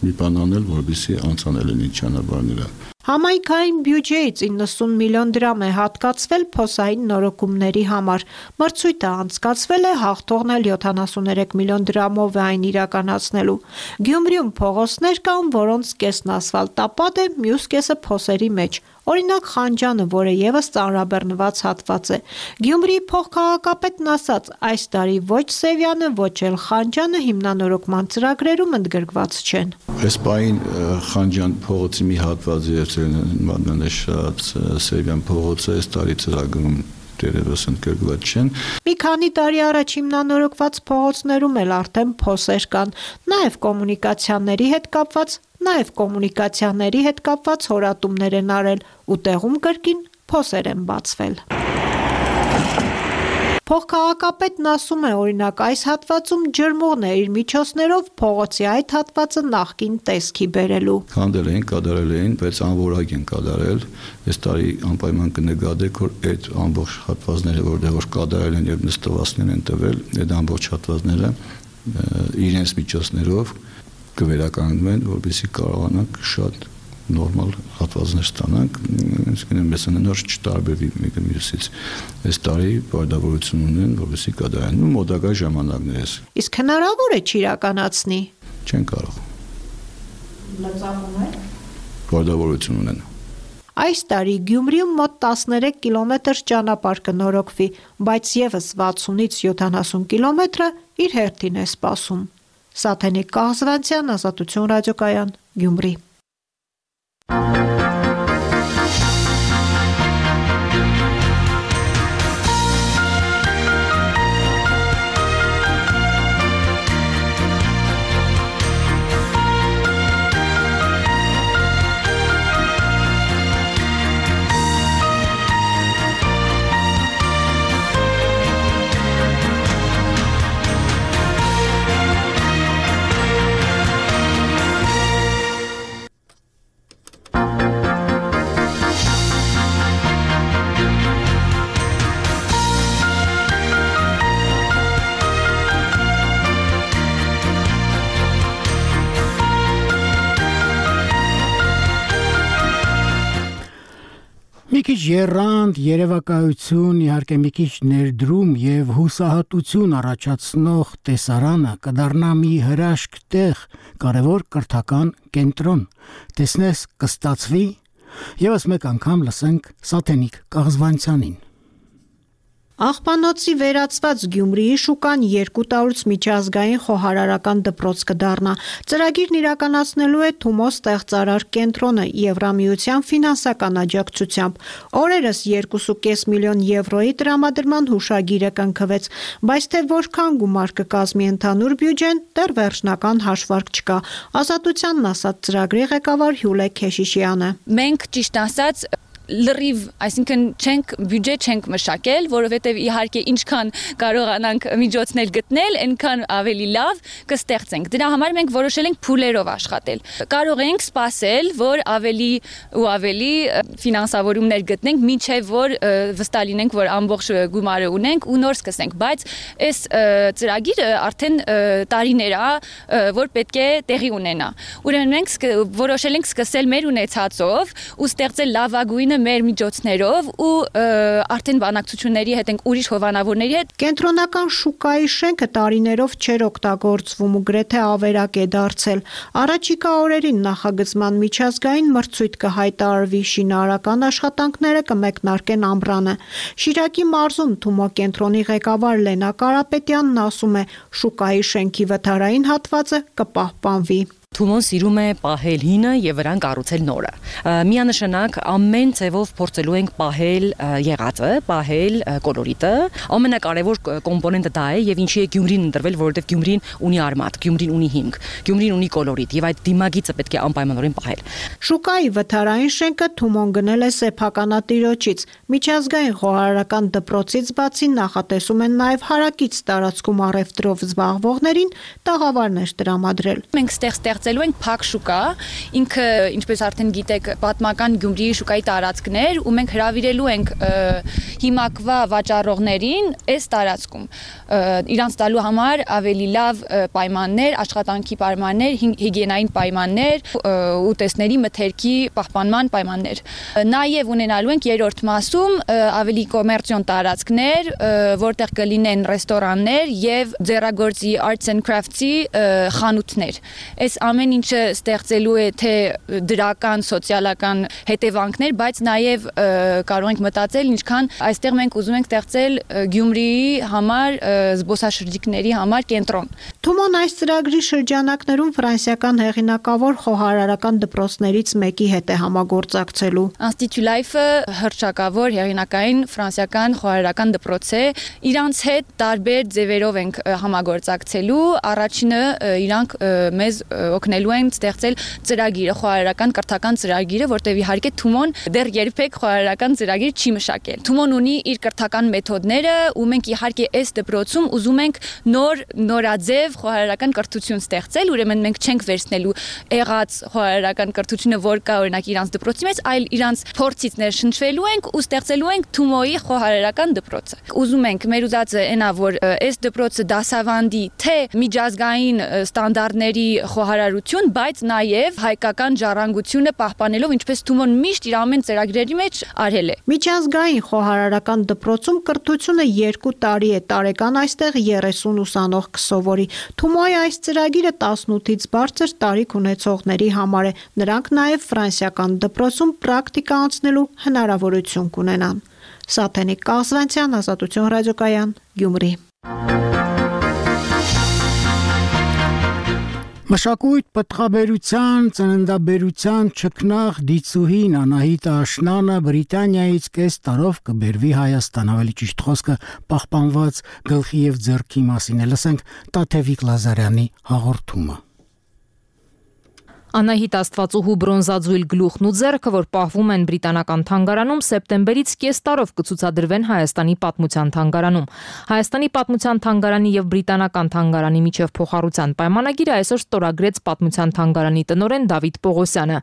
մի բան անել, որպեսզի անցանել լինի ճանապարհները։ Համայնքային բյուջեից 90 միլիոն դրամ է հատկացվել փոսային նորոգումների համար։ Մրցույթը անցկացվել է, հաղթողն էլ 73 միլիոն դրամով է այն իրականացնելու։ Գյումրիում փողոցներ կան, որոնց կեսն ասֆալտապատ է, մյուս կեսը փոսերի մեջ։ Օրինակ Խանջանը, որը ևս ծանրաբեռնված հատված է։ Գյումրիի փոխքաղաքապետն ասաց, այս տարի ոչ Սևյանը, ոչ էլ Խանջանը հիմնանորոգման ծրագրերում ընդգրկված չեն։ Այս պահին Խանջան փողոցի մի հատվածը եւ նշած Սևյան փողոցը այս տարի ծրագրում դերևս ընդգրկված չեն։ Մի քանի տարի առաջ հիմնանորոգված փողոցներում էլ արդեն փոսեր կան, նաև կոմունիկացիաների հետ կապված հորատումներ են արել ու տեղում կրկին փոսեր են բացվել։ Փոխքաղաքապետն ասում է, օրինակ, այս հատվածում ջրմուղն է իր միջոցներով փողոցի այդ հատվածը նախկին տեսքի բերելու։ Քանդել էին, կատարել էին, բայց անորակ են կատարել։ Այս տարի անպայման կնկատեք, որ այդ ամբողջ հատվածները, որտեղ որ կատարել են եւ նստվածքներ են տվել, այդ ամբողջ հատվածները իրենց միջոցներով կվերականգնվեն, որպեսզի կարողանանք շատ նորմալ հատվածներ ստանանք, մեզ նոր չտարբերվի մեկը մյուսից։ Այս տարի պարտավորություն ունեն, որպեսզի կատարեն ու մոտակա ժամանակներս։ Իսկ հնարավոր է չիրականացնի։ Չեն կարող։ Լծակում է։ Պարտավորություն ունեն։ Այս տարի Գյումրիում մոտ 13 կիլոմետր ճանապարհ կնորոգվի, բայց եւս 60-ից 70 կիլոմետրը իր հերթին է սպասում։ Սաթենիկ Կաղզվանցյան, Ազատություն ռադիոկայան, Գյումրի։ Մի քիչ եռանդ, երևակայություն, իհարկե մի քիչ ներդրում եւ հուսահատություն առաջացնող տեսարանը կդառնա մի հրաշք տեղ, կարևոր կրթական կենտրոն։ Տեսնես կստացվի։ Եվս մեկ անգամ լսենք Սաթենիկ Կաղզվանցյանին։ Աղբանոցի վերածված Գյումրիի շուկան 200-ից միջազգային խոհարարական դպրոց կդառնա։ Ծրագիրն իրականացնելու է Թումո ստեղծարար կենտրոնը Եվրամիության ֆինանսական աջակցությամբ։ Օրերս 2.5 միլիոն եվրոյի տրամադրման հուշագիրը կնքվեց, բայց թե որքան գումար կկազմի ընդհանուր բյուջեն, դեռ վերջնական հաշվարկ չկա։ Ազատությանն ասաց ծրագրի ղեկավար Հյուլե Քեշիշյանը։ Մենք ճիշտ ասած լրիվ, այսինքն չենք բյուջե չենք մշակել, որովհետև իհարկե ինչքան կարողանանք միջոցներ գտնել, այնքան ավելի լավ կստեղծենք։ Դրա համար մենք որոշել ենք փուլերով աշխատել։ Կարող ենք սպասել, որ ավելի ու ավելի ֆինանսավորումներ գտնենք, մինչև որ վստահ լինենք, որ ամբողջ գումարը ունենք ու նոր սկսենք, բայց այս ծրագիրը արդեն տարիներ է, որ պետք է տեղի ունենա։ Ուրեմն մենք որոշել ենք սկսել մեր ունեցածով ու ստեղծել լավագույնը մեր միջոցներով ու արդեն բանակցությունների հետ ենք ուրիշ հովանավորների հետ։ Կենտրոնական շուկայի շենքը տարիներով չէր օգտագործվում ու գրեթե ավերակ է դարձել։ Առաջիկա օրերին նախագծման միջազգային մրցույթ կհայտարարվի, շինարարական աշխատանքները կմեկնարկեն ամռանը։ Շիրակի մարզում Թումո կենտրոնի ղեկավար Լենա Կարապետյանն ասում է, շուկայի շենքի վթարային հատվածը կպահպանվի։ Թումոն սիրում է պահել հինը եւ վրան կառուցել նորը։ Միանշանակ ամեն ձևով փորձելու ենք պահել եղածը, պահել կոլորիտը։ Ամենակարևոր կոմպոնենտը դա է եւ ինչի է Գյումրին ընտրվել, որովհետեւ Գյումրին ունի արմատ, Գյումրին ունի հիմք, Գյումրին ունի կոլորիտ եւ այդ դիմագիծը պետք է անպայմանորեն պահել։ Շուկայի վթարային շենքը Թումոն գնել է սեփականատիրոջից։ Միջազգային խոհարարական դպրոցից բացի նախատեսում են նաեւ հարակից տարածքում առևտրով զբաղվողներին տաղավարներ տրամադրել։ Մենք ստեղծելու ենք փակ շուկա, ինքը ինչպես արդեն գիտեք, պատմական Գյումրիի շուկայի տարածքներ ու մենք հրավիրելու ենք հիմակվա վաճառողներին այս տարածքում իրանց տալու համար ավելի լավ պայմաններ, աշխատանքի պայմաններ, հիգիենային պայմաններ, ուտեստների մթերքի պահպանման պայմաններ։ Նաև ունենալու ենք երրորդ մասում ավելի կոմերցիոն տարածքներ, որտեղ կլինեն ռեստորաններ եւ ձեռագործի arts and crafts-ի խանութներ։ Այս ամեն ինչը ստեղծելու է թե դրական, սոցիալական հետևանքներ, բայց նաև կարող ենք մտածել ինչքան այստեղ մենք ուզում ենք ստեղծել Գյումրիի համար զբոսաշրջիկների համար կենտրոն։ Թումոն այս ծրագրի շրջանակներում ֆրանսիական հեղինակավոր խոհարարական դպրոցներից մեկի հետ է համագործակցելու։ Institut Life-ը հռչակավոր հեղինակային ֆրանսիական խոհարարական դպրոց է։ Իրանց հետ տարբեր ձևերով ենք համագործակցելու։ Առաջինը իրանք մեզ օգնելու են ստեղծել ծրագիրը, խոհարարական կրթական ծրագիրը, որտեղ իհարկե Թումոն դեռ երբեք խոհարարական ծրագիր չի մշակել։ Թումոն ունի իր կրթական մեթոդները, ու մենք իհարկե այս դպրոցում ուզում ենք նորաձև խոհարարական կրթություն ստեղծել, ուրեմն մենք չենք վերցնելու եղած խոհարարական կրթությունը, որ կա օրինակ իրանց դպրոցի մեջ, այլ իրանց փորձից ներշնչվելու ենք ու ստեղծելու ենք Թումոյի խոհարարական դպրոցը։ Ուզում ենք մեր ուզածը այնա, որ այս դպրոցը դասավանդի թե միջազգային ստանդարտների խոհարարություն, բայց նաև հայկական ժառանգությունը պահպանելով, ինչպես Թումոն միշտ իր ամեն ծրագրերի մեջ արել է։ Միջազգային խոհարարական դպրոցում կրթությունը 2 տարի է, տարեկան այստեղ 30 ուսանող կսովորի։ Թումոյի այս ծրագիրը 18-ից բարձր տարիք ունեցողների համար է։ Նրանք նաև ֆրանսիական դպրոցում պրակտիկա անցնելու հնարավորություն կունենան։ Սաթենիկ Կազվանցյան, Ազատություն ռադիոկայան, Գյումրի։ Մշակույթ, պտղաբերության, ծննդաբերության ճգնաղ դիցուհին Անահիտ Աշնանը Բրիտանիայից կես տարով կբերվի Հայաստան, ավելի ճիշտ խոսքը պահպանված գլխի եւ ձեռքի մասին է, լսենք Տաթևիկ Լազարյանի հաղորդումը։ Անահիտ Աստվածուհու բրոնզաձույլ գլուխն ու ձեռքը, որ պահվում են բրիտանական թանգարանում, սեպտեմբերից կես տարով կցուցադրվեն Հայաստանի պատմության թանգարանում։ Հայաստանի պատմության թանգարանի եւ բրիտանական թանգարանի միջև փոխառության պայմանագիրը այսօր ստորագրեց պատմության թանգարանի տնօրեն Դավիթ Պողոսյանը։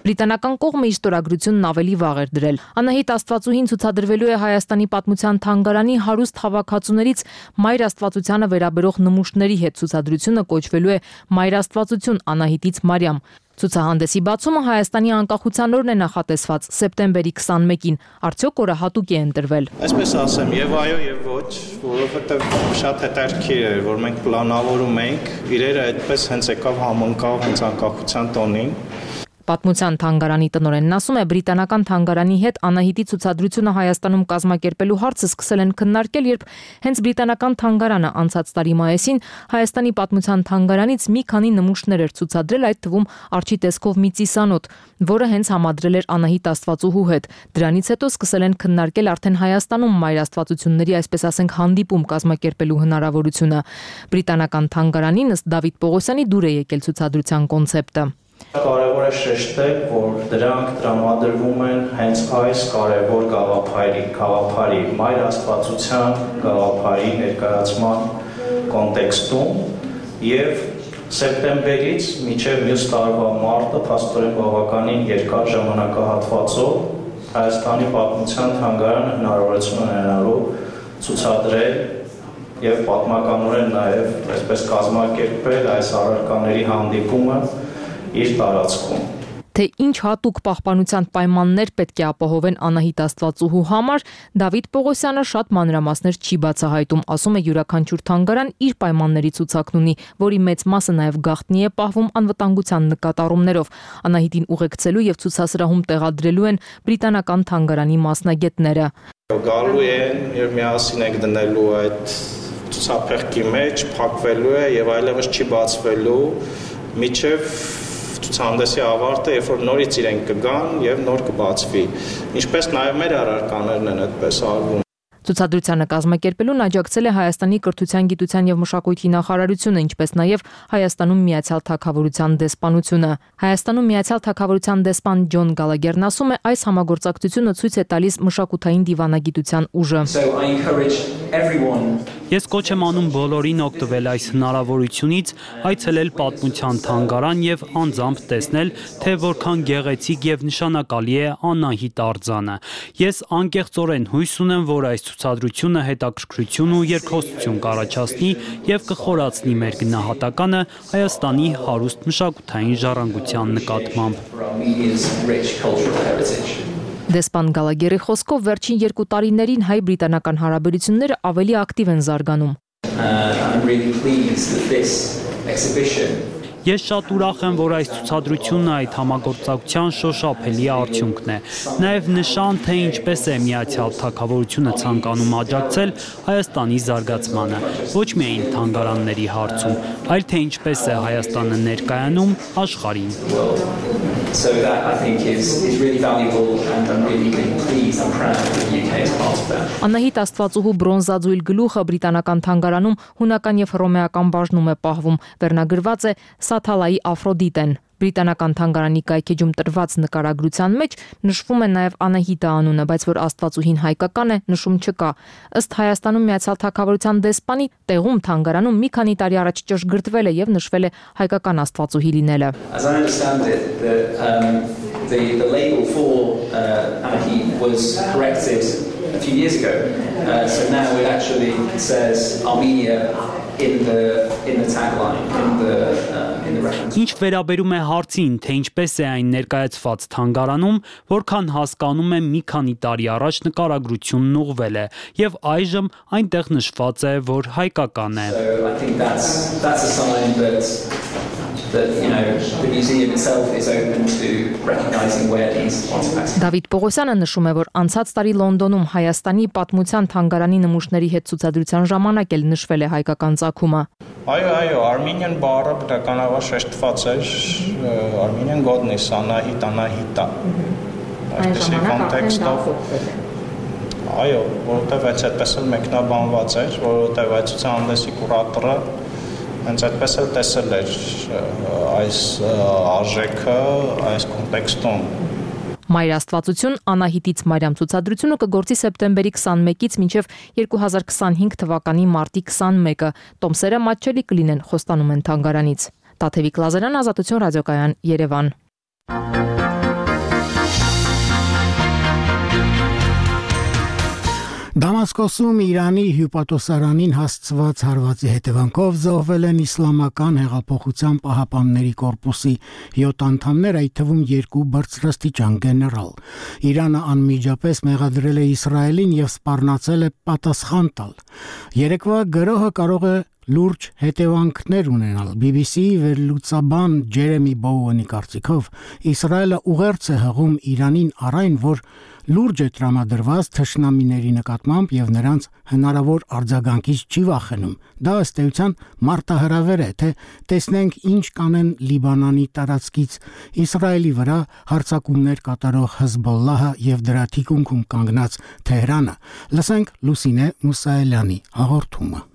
Բրիտանական կողմը իր ստորագրությունն ավելի վաղ էր դրել։ Անահիտ Աստվածուհին ցուցադրվելու է Հայաստանի պատմության թանգարանի հարուստ հավաքածուներից Մայր Աստվածությանը վերաբերող նմուշների հետ։ Ցուցադրությունը կոչվելու է Մայր Աստվածություն Անահիտից Մարիամ։ Ցուցահանդեսի բացումը Հայաստանի անկախության օրն է նախատեսված սեպտեմբերի 21-ին։ Արդյոք օրը հատուկ է ընտրվել։ Այսպես ասեմ, եւ այո, եւ ոչ, որովհետեւ շատ հետաքրքիր է, որ մենք պլանավորում ենք, իրերը այդպես հենց եկավ համընկավ հենց անկախության տոնին։ Պատմության թանգարանի տնօրենն ասում է, բրիտանական թանգարանի հետ Անահիտի ցուցադրությունը Հայաստանում կազմակերպելու հարցը սկսել են քննարկել, երբ հենց բրիտանական թանգարանը անցած տարի մայիսին Հայաստանի պատմության թանգարանից մի քանի նմուշներ էր ցուցադրել, այդ թվում Արչի տեսքով մի ծիսանոթ, որը հենց համադրել էր Անահիտ Աստվածուհու հետ։ Դրանից հետո սկսել են քննարկել արդեն Հայաստանում Մայր Աստվածությունների, այսպես ասենք, հանդիպում կազմակերպելու հնարավորությունը։ Բրիտանական թանգարանին ըստ Դավիթ Պողոսյանի դուր է եկել ցուցադրության կոնցեպտը։ Կարևոր է շեշտել, որ դրանք տրամադրվում են հենց այս կարևոր գաղափարի Մայր Աստվածության գաղափարի ներկայացման կոնտեքստում եւ սեպտեմբերից մինչեւ մյուս տարվա մարտը փաստորեն բավականին երկար ժամանակահատվածով Հայաստանի պատմության թանգարանը հնարավորություն ունենալու ցուցադրել եւ պատմականորեն նաեւ այսպես կազմակերպել այս առարկաների հանդիպումը իր տարածքում։ Թե ինչ հատուկ պահպանության պայմաններ պետք է ապահովեն Անահիտ Աստվածուհու համար, Դավիթ Պողոսյանը շատ մանրամասներ չի բացահայտում, ասում է յուրաքանչյուր թանգարան իր պայմանների ցուցակն ունի, որի մեծ մասը նաև գաղտնի է պահվում անվտանգության նկատառումներով։ Անահիտին ուղեկցելու եւ ցուցասրահում տեղադրելու են բրիտանական թանգարանի մասնագետները։ Գալու են եւ միասին ենք դնելու այդ ցուցափեղկի մեջ, փակվելու է եւ այլևս չի բացվելու միջև ցուցահանդեսի ավարտը, երբ որ նորից իրենք կգան եւ նոր կբացվի։ Ինչպես նաեւ մեր առարկաներն են այդպես արվում։ Ցուցադրությանը կազմակերպելուն աջակցել է Հայաստանի կրթության, գիտության եւ մշակույթի նախարարությունը, ինչպես նաեւ Հայաստանում Միացյալ Թագավորության դեսպանությունը։ Հայաստանում Միացյալ Թագավորության դեսպան Ջոն Գալագերն ասում է, այս համագործակցությունը ցույց է տալիս մշակութային դիվանագիտության ուժը։ Ես կոչ եմ անում բոլորին օգտվել այս հնարավորությունից, այցելել պատմության թանգարան եւ անձամբ տեսնել, թե որքան գեղեցիկ եւ նշանակալի է Անահիտ արձանը։ Ես անկեղծորեն հույս ունեմ, որ այս ցուցադրությունը հետաքրքրություն ու երկխոսություն կառաջացնի եւ կխորացնի մեր գնահատականը Հայաստանի հարուստ մշակութային ժառանգության նկատմամբ։ Դեսպան Գալագերի խոսքով վերջին 2 տարիներին հայ-բրիտանական հարաբերությունները ավելի ակտիվ են զարգանում։ Ես շատ ուրախ եմ, որ այս ցուցադրությունը այդ համագործակցության շոշափելի արդյունքն է։ Նաև նշան, թե ինչպես է Միացյալ Թագավորությունը ցանկանում աջակցել Հայաստանի զարգացմանը, ոչ միայն թանգարանների հարցում, այլ թե ինչպես է Հայաստանը ներկայանում աշխարհին։ So that I think is really valuable and I'm really pleased and proud that the UK is part of that. Անահիտ Աստվածուհու բրոնզաձույլ գլուխը բրիտանական թանգարանում հունական եւ հռոմեական բաժնում է պահվում, վերնագրված է Սաթալայի Աֆրոդիտեն։ Բրիտանական թանգարանի կայքեջում տրված նկարագրության մեջ նշվում է նաև Անահիտը անունը, բայց որ Աստվածուհին հայկական է, նշում չկա։ Ըստ Հայաստանում Միացյալ Թագավորության դեսպանի, տեղում թանգարանում մի քանի տարի առաջ ճշգրտվել է եւ նշվել է հայկական Աստվածուհի լինելը։ As I understand it, the label for Anahit was corrected a few years ago. So now it actually says Armenia in the tagline, in the reference. Ինչ վերաբերում է հարցին, թե ինչպես է այն ներկայացված թանգարանում, որքան հասկանում եմ մի քանի տարի առաջ նկարագրությունն ուղղվել է եւ այժմ այնտեղ նշված է, որ հայկական է։ So I think that's a sign that the museum itself is open to recognizing where these artifacts. Դավիթ Պողոսյանը նշում է, որ անցած տարի Լոնդոնում Հայաստանի պատմության թանգարանի նմուշների հետ ցուցադրության ժամանակ էլ նշվել է հայկական ծագումը։ Այո, Armenian բառը բնականաբար շեշտված էր, Armenian godness, Անահիտա։ Այսպեսի կոնտեքստով այո, որովհետև այդպես էլ մեկնաբանված էր, որովհետև այդ ցուցահանդեսի կուրատորը հենց այդպես էլ տեսել էր այս արժեքը այս կոնտեքստում։ Մայր Աստվածություն Անահիտից Մարիամ ցուցադրությունը կգործի սեպտեմբերի 21-ից մինչև 2025 թվականի մարտի 21-ը։ Տոմսերը մատչելի կլինեն, խոստանում են թանգարանից։ Տաթևիկ Լազարյան, Ազատություն ռադիոկայան, Երևան։ Դամասկոսում Իրանի հյուպատոսարանին հասցված հարվածի հետևանքով զոհվել են Իսլամական հեղափոխության պահապանների կորպուսի 7 անդամներ, այդ թվում 2 բարձրաստիճան գեներալ։ Իրանը անմիջապես մեղադրել է Իսրայելին եւ սպառնացել է պատասխան տալ։ Երեկվա գրոհը կարող է լուրջ հետևանքներ ունենալ։ BBC-ի վերլուծաբան Ջերեմի Բոուենի կարծիքով Իսրայելը ուղերձ է հղում Իրանին առայն, որ լուրջ է տրամադրված թշնամիների նկատմամբ եւ նրանց հնարավոր արձագանքից չի վախենում։ Դա ըստ էության մարտահրավեր է, թե տեսնենք ինչ կանեն Լիբանանի տարածքից Իսրայելի վրա հարձակումներ կատարող Հեզբոլլահը եւ դրա թիկունքում կանգնած Թեհրանը։ Լսենք Լուսինե Մուսայելյանի հաղորդումը։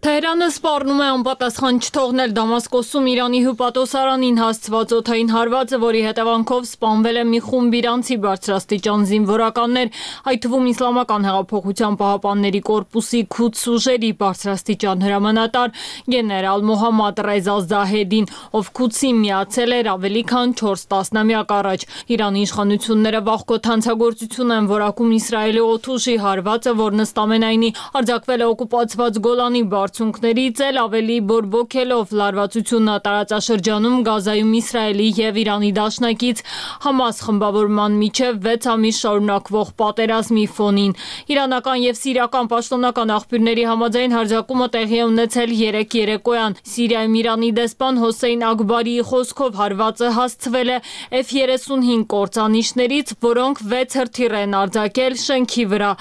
Թեհրանը սպառնում է անպատասխան չթողնել Դամասկոսում Իրանի հյուպատոսարանին հասցված օդային հարվածը, որի հետևանքով սպանվել է մի խումբ իրանցի բարձրաստիճան զինվորականներ, այդ թվում Իսլամական հեղափոխության պահապանների կորպուսի Քուդս ուժերի բարձրաստիճան հրամանատար գեներալ Մոհամմադ Ռեզա Զահեդին, ով Քուդսին միացել էր ավելի քան 4 տասնամյակ առաջ։ Իրանի իշխանությունները վաղկոտ հանցագործություն են որակում Իսրայելի օդուժի հարվածը, որն ըստ ամենայնի արձակվել է օկուպացված Գոլանի Բարձունքներից էլ ավելի բորբոքելով լարվածությունը տարածաշրջանում Գազայում Իսրայելի եւ Իրանի դաշնակից Համաս խմբավորման միջև 6 ամիս շարունակվող պատերազմի ֆոնին։ Իրանական եւ սիրիական պաշտոնական աղբյուրների համաձայն հարձակումը տեղի է ունեցել 3 երեկոյան։ Սիրիայում Իրանի դեսպան Հոսեյն Ակբարիի խոսքով հարվածը հասցվել է F-35 կործանիչներից, որոնք 6 հրթիռ են արձակել շենքի վրա։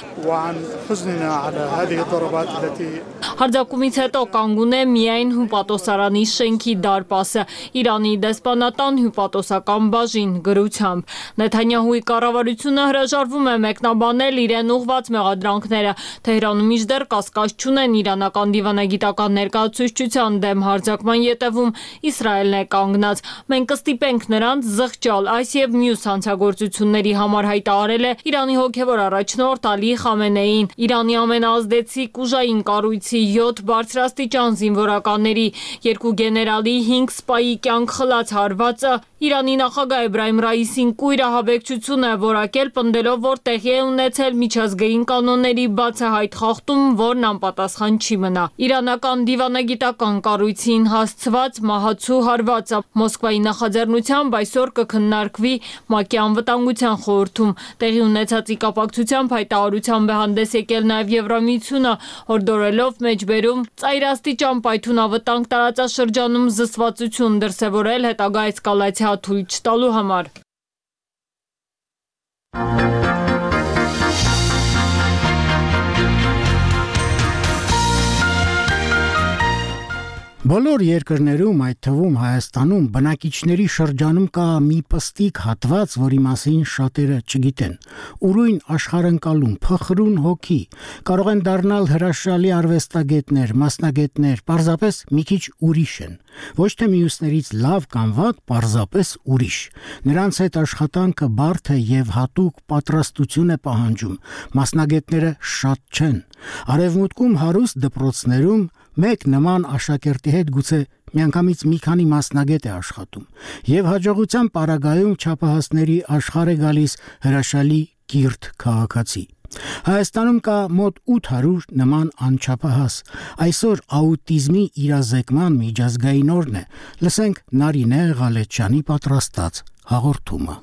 Հարձակումից հետո կանգուն է միայն հյուպատոսարանի շենքի դարպասը, Իրանի դեսպանատան հյուպատոսական բաժին գրությամբ։ Նեթանյահուի կառավարությունը հրաժարվում է մեկնաբանել իրեն ուղղված մեղադրանքները։ Թեհրանում մինչդեռ կասկած չունեն իրանական դիվանագիտական ներկայացուցչության դեմ հարձակման ետևում Իսրայելն է կանգնած։ Մենք կստիպենք նրանց զղջալ այս եւ մյուս հանցագործությունների համար, հայտարարել է Իրանի հոգևոր առաջնորդ Ալի Խամենեին։ Իրանի ամենաազդեցիկ ուժային կառույցի 7 բարձրաստիճան զինվորականների, 2 գեներալի, 5 սպայի կյանք խլած հարվածը Իրանի նախագահ Էբրահիմ Ռայիսին կույր ահաբեկչություն է որակել, պնդելով, որ տեղի է ունեցել միջազգային կանոնների բացահայտ խախտում, որն անպատասխան չի մնա։ Իրանական դիվանագիտական կառույցին հասցված մահացու հարվածը Մոսկվայի նախաձեռնությամբ այսօր կքննարկվի ՄԱԿ-ի անվտանգության խորհրդում։ Տեղի ունեցածի կապակցությամբ հայտարարությամբ է հանդես եկել նաև Եվրամիությունը, հորդորելով մեջբերում Հայաստանում ծայրաստիճան պայթունավտանգ տարածաշրջանում զսպվածություն դրսևորել հետագա էսկալացիա թույլ չտալու համար։ Բոլոր երկրներում, այդ թվում Հայաստանում, բնակիչների շրջանում կա մի պստիկ հատված, որի մասին շատերը չգիտեն։ Ուրույն աշխարհընկալում, փխրուն հոգի, կարող են դառնալ հրաշալի արվեստագետներ, մասնագետներ, պարզապես մի քիչ ուրիշ են։ Ոչ թե մյուսներից լավ կամ վատ, պարզապես ուրիշ։ Նրանց հետ աշխատանքը բարդ է եւ հատուկ պատրաստություն է պահանջում։ Մասնագետները շատ չեն։ Արևմուտքում հարուստ դպրոցներում մեկ նման աշակերտի հետ գուցե միանգամից մի քանի մասնագետ է աշխատում եւ հաջողության պարագայում չափահասների աշխարհ է գալիս հրաշալի կիրթ քաղաքացի։ Հայաստանում կա մոտ 800 նման անչափահաս։ Այսօր աուտիզմի իրազեկման միջազգային օրն է։ Լսենք Նարինե Ղալեչյանի պատրաստած հաղորդումը։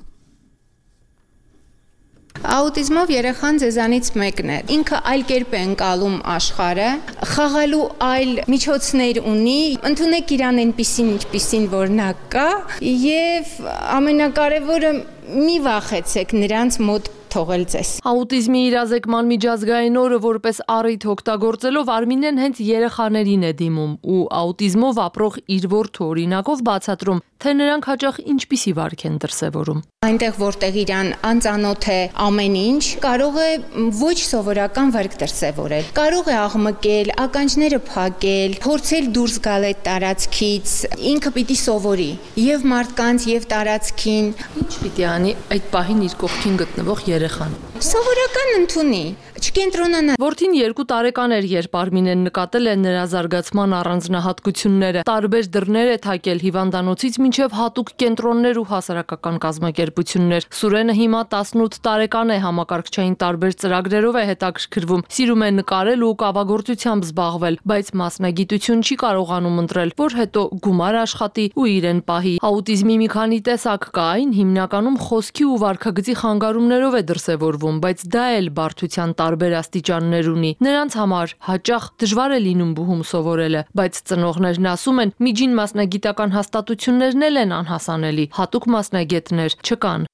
Աուտիզմով երեխան ձեզանից մեկն է։ Ինքը այլ կերպ է ընկալում աշխարհը, խաղալու այլ միջոցներ ունի, ընդունեք իրան այնպիսին, ինչպիսին որ նա կա, եւ ամենակարևորը մի վախեցեք նրանց մոտ թողել ձեզ։ Աուտիզմի իրազեկման միջազգային օրը որպես առիթ օգտագործելով Արմինեն հենց երեխաներին է դիմում ու աուտիզմով ապրող իր որդու օրինակով բացատրում, թե նրանք հաճախ ինչպիսի վարք են դրսևորում։ Այնտեղ որտեղ իրան անծանոթ է ամեն ինչ, կարող է ոչ սովորական վարք դրսևորել։ Կարող է աղմկել, ականջները փակել, փորձել դուրս գալ այդ տարածքից, ինքը պիտի սովորի եւ մարդկանց եւ տարածքին։ Ինչ պիտի անի այդ պահին իր կողքին գտնվող երեխան։ Սովորական ընդունի, չկենտրոնանա։ Որդին 2 տարեկան էր, երբ Արմինեն նկատել է նրա զարգացման առանձնահատկությունները։ Տարբեր դռներ է թակել հիվանդանոցից մինչև հատուկ կենտրոններ ու հասարակական կազմակերպություններ։ Սուրենը հիմա 18 տարեկան է, համակարգչային տարբեր ծրագրերով է հետաքրքրվում, սիրում է նկարել ու կավագործությամբ զբաղվել, բայց մասնագիտություն չի կարողանում ընտրել, որ հետո գումար աշխատի ու իրեն պահի։ Աուտիզմի մի քանի տեսակ կա, այն հիմնականում խոսքի ու վարքագծի խանգարումներով է դրսևորվում, բայց դա էլ բարդության տարբեր աստիճաններ ունի։ Նրանց համար հաճախ դժվար է լինում բուհում սովորելը, բայց ծնողներն ասում են, միջին մասնագիտական հաստատություններն էլ են անհասանելի, հատուկ մասնագետներ չկան։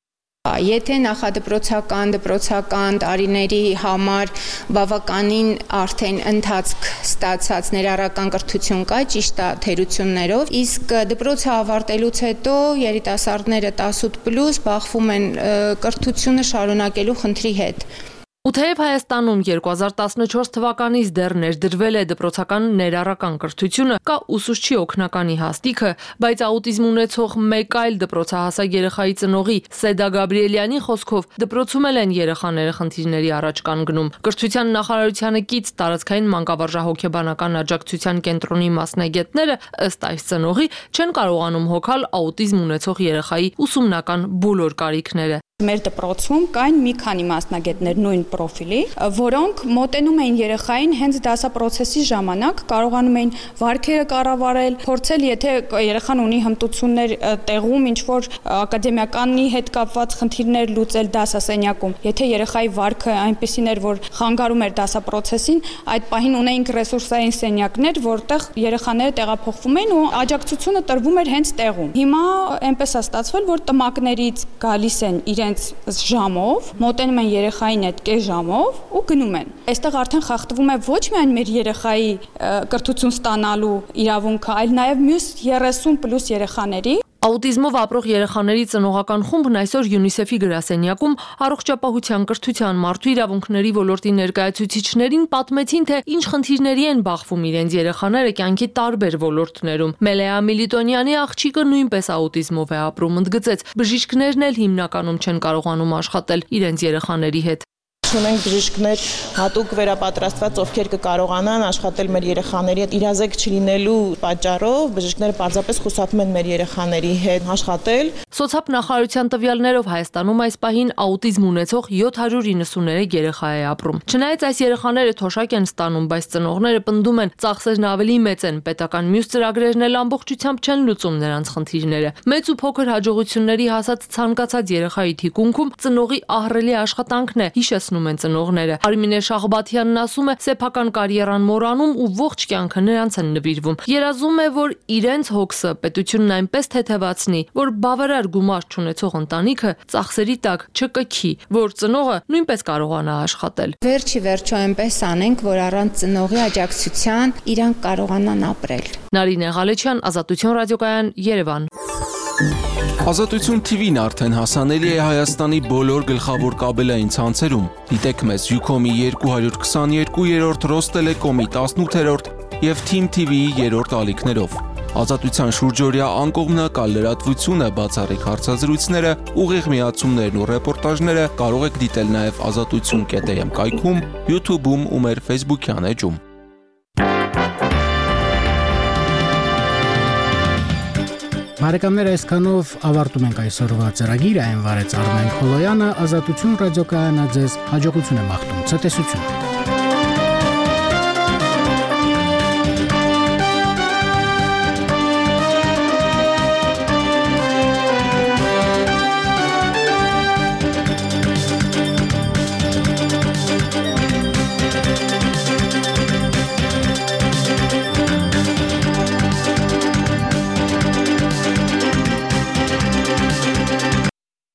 Եթե նախադպրոցական, դպրոցական տարիների համար բավականին արդեն ընթացք ստացած ներառական կրթություն կա, ճիշտ է թերություններով, իսկ դպրոցը ավարտելուց հետո երիտասարդները 18+ բախվում են կրթությունը շարունակելու խնդրի հետ։ Ու թեև Հայաստանում 2014 թվականից դեռ ներդրվել է դպրոցական ներառական կրթությունը, կա ուսուցչի օգնականի հաստիքը, բայց աուտիզմ ունեցող մեկ այլ դպրոցահասակ երեխայի ծնողի Սեդա Գաբրիելյանի խոսքով դպրոցում են երեխաները խնդիրների առաջ կանգնում։ Կրթության նախարարությանը կից տարածքային մանկավարժահոգեբանական աջակցության կենտրոնի մասնագետները ըստ այս ծնողի չեն կարողանում հոգալ աուտիզմ ունեցող երեխայի ուսումնական բոլոր կարիքները։ Մեր դպրոցում կային մի քանի մասնագետներ նույն պրոֆիլի, որոնք մոտենում էին երեխային հենց դասապրոցեսի ժամանակ, կարողանում էին վարքերը կառավարել, փորձել, եթե երեխան ունի հմտություններ տեղում, ինչ որ ակադեմիականի հետ կապված խնդիրներ լուծել դասասենյակում։ Եթե երեխայի վարքը այնպեսին էր, որ խանգարում էր դասապրոցեսին, այդ պահին ունեինք ռեսուրսային սենյակներ, որտեղ երեխաները տեղափոխվում էին ու աջակցությունը տրվում էր հենց տեղում։ Հիմա այնպես է ստացվել, որ տմակներից գալիս են իրենց ժամով, մոտենում են երեխային այդ կես ժամով ու գնում են։ Այստեղ արդեն խախտվում է ոչ միայն մեր երեխայի կրթություն ստանալու իրավունքը, այլ նաև մյուս 30+ երեխաների։ Աուտիզմով ապրող երեխաների ծնողական խումբն այսօր ՅՈՒՆԻՍԵՖ-ի գրասենյակում առողջապահության, կրթության, մարդու իրավունքների ոլորտի ներկայացուցիչներին պատմեցին, թե ինչ խնդիրների են բախվում իրենց երեխաները կյանքի տարբեր ոլորտներում։ Մելեա Միլիտոնյանի աղջիկը նույնպես աուտիզմով է ապրում, ընդգծեց, բժիշկներն էլ հիմնականում չեն կարողանում աշխատել իրենց երեխաների հետ։ Ունենք բժիշկներ հատուկ վերապատրաստված, ովքեր կկարողանան աշխատել մեր երեխաների հետ, իրազեկ չլինելու պատճառով բժիշկները պարզապես խուսափում են մեր երեխաների հետ աշխատել։ Սոցիալ նախարարության տվյալներով Հայաստանում այս պահին աուտիզմ ունեցող 793 երեխա է ապրում։ Չնայած այս երեխաները թոշակ են ստանում, բայց ծնողները պնդում են, ծախսերն ավելի մեծ են, պետական մյուս ծրագրերն էլ ամբողջությամբ չեն լուծում նրանց խնդիրները։ Մեծ ու փոքր հաջողությունների հասած ցանկացած երեխայի թիկունքում ծնողի ահռելի աշխատանքն է, հիշեցնում վախենում են ծնողները։ Արմինե Շահբաթյանն ասում է, սեփական կարիերան մոռանում ու ողջ կյանքը նրանց են նվիրվում։ Երազում է, որ իրենց հոգսը պետությունն այնպես թեթևացնի, որ բավարար գումար չունեցող ընտանիքը ծախսերի տակ չկքի, որ ծնողը նույնպես կարողանա աշխատել։ Վերջի վերջո այնպես անենք, որ առանց ծնողի աջակցության իրանք կարողանան ապրել։ Նարինե Ղալեչյան, Ազատություն ռադիոկայան, Երևան։ Ազատություն TV-ն արդեն հասանելի է Հայաստանի բոլոր գլխավոր կաբելային ցանցերում։ Դիտեք մեզ Ucom-ի 222-րդ, Ռոստելեկոմի 18-րդ եւ Team TV-ի 3-րդ ալիքներով։ Ազատության շուրջօրյա անկողմնակալ լրատվությունը, բացառիկ հարցազրույցները, ուղիղ միացումներն ու ռեպորտաժները կարող եք դիտել նաեւ azatutun.am կայքում, YouTube-ում ու մեր Facebook-յան էջում։ Բարեկամներ, այսքանով ավարտում ենք այսօրվա ծրագիրը, այն վարեց Արմեն Քոլոյանը, Ազատություն ռադիոկայանը ձեզ հաջողություն է մաղթում, ցտեսություն։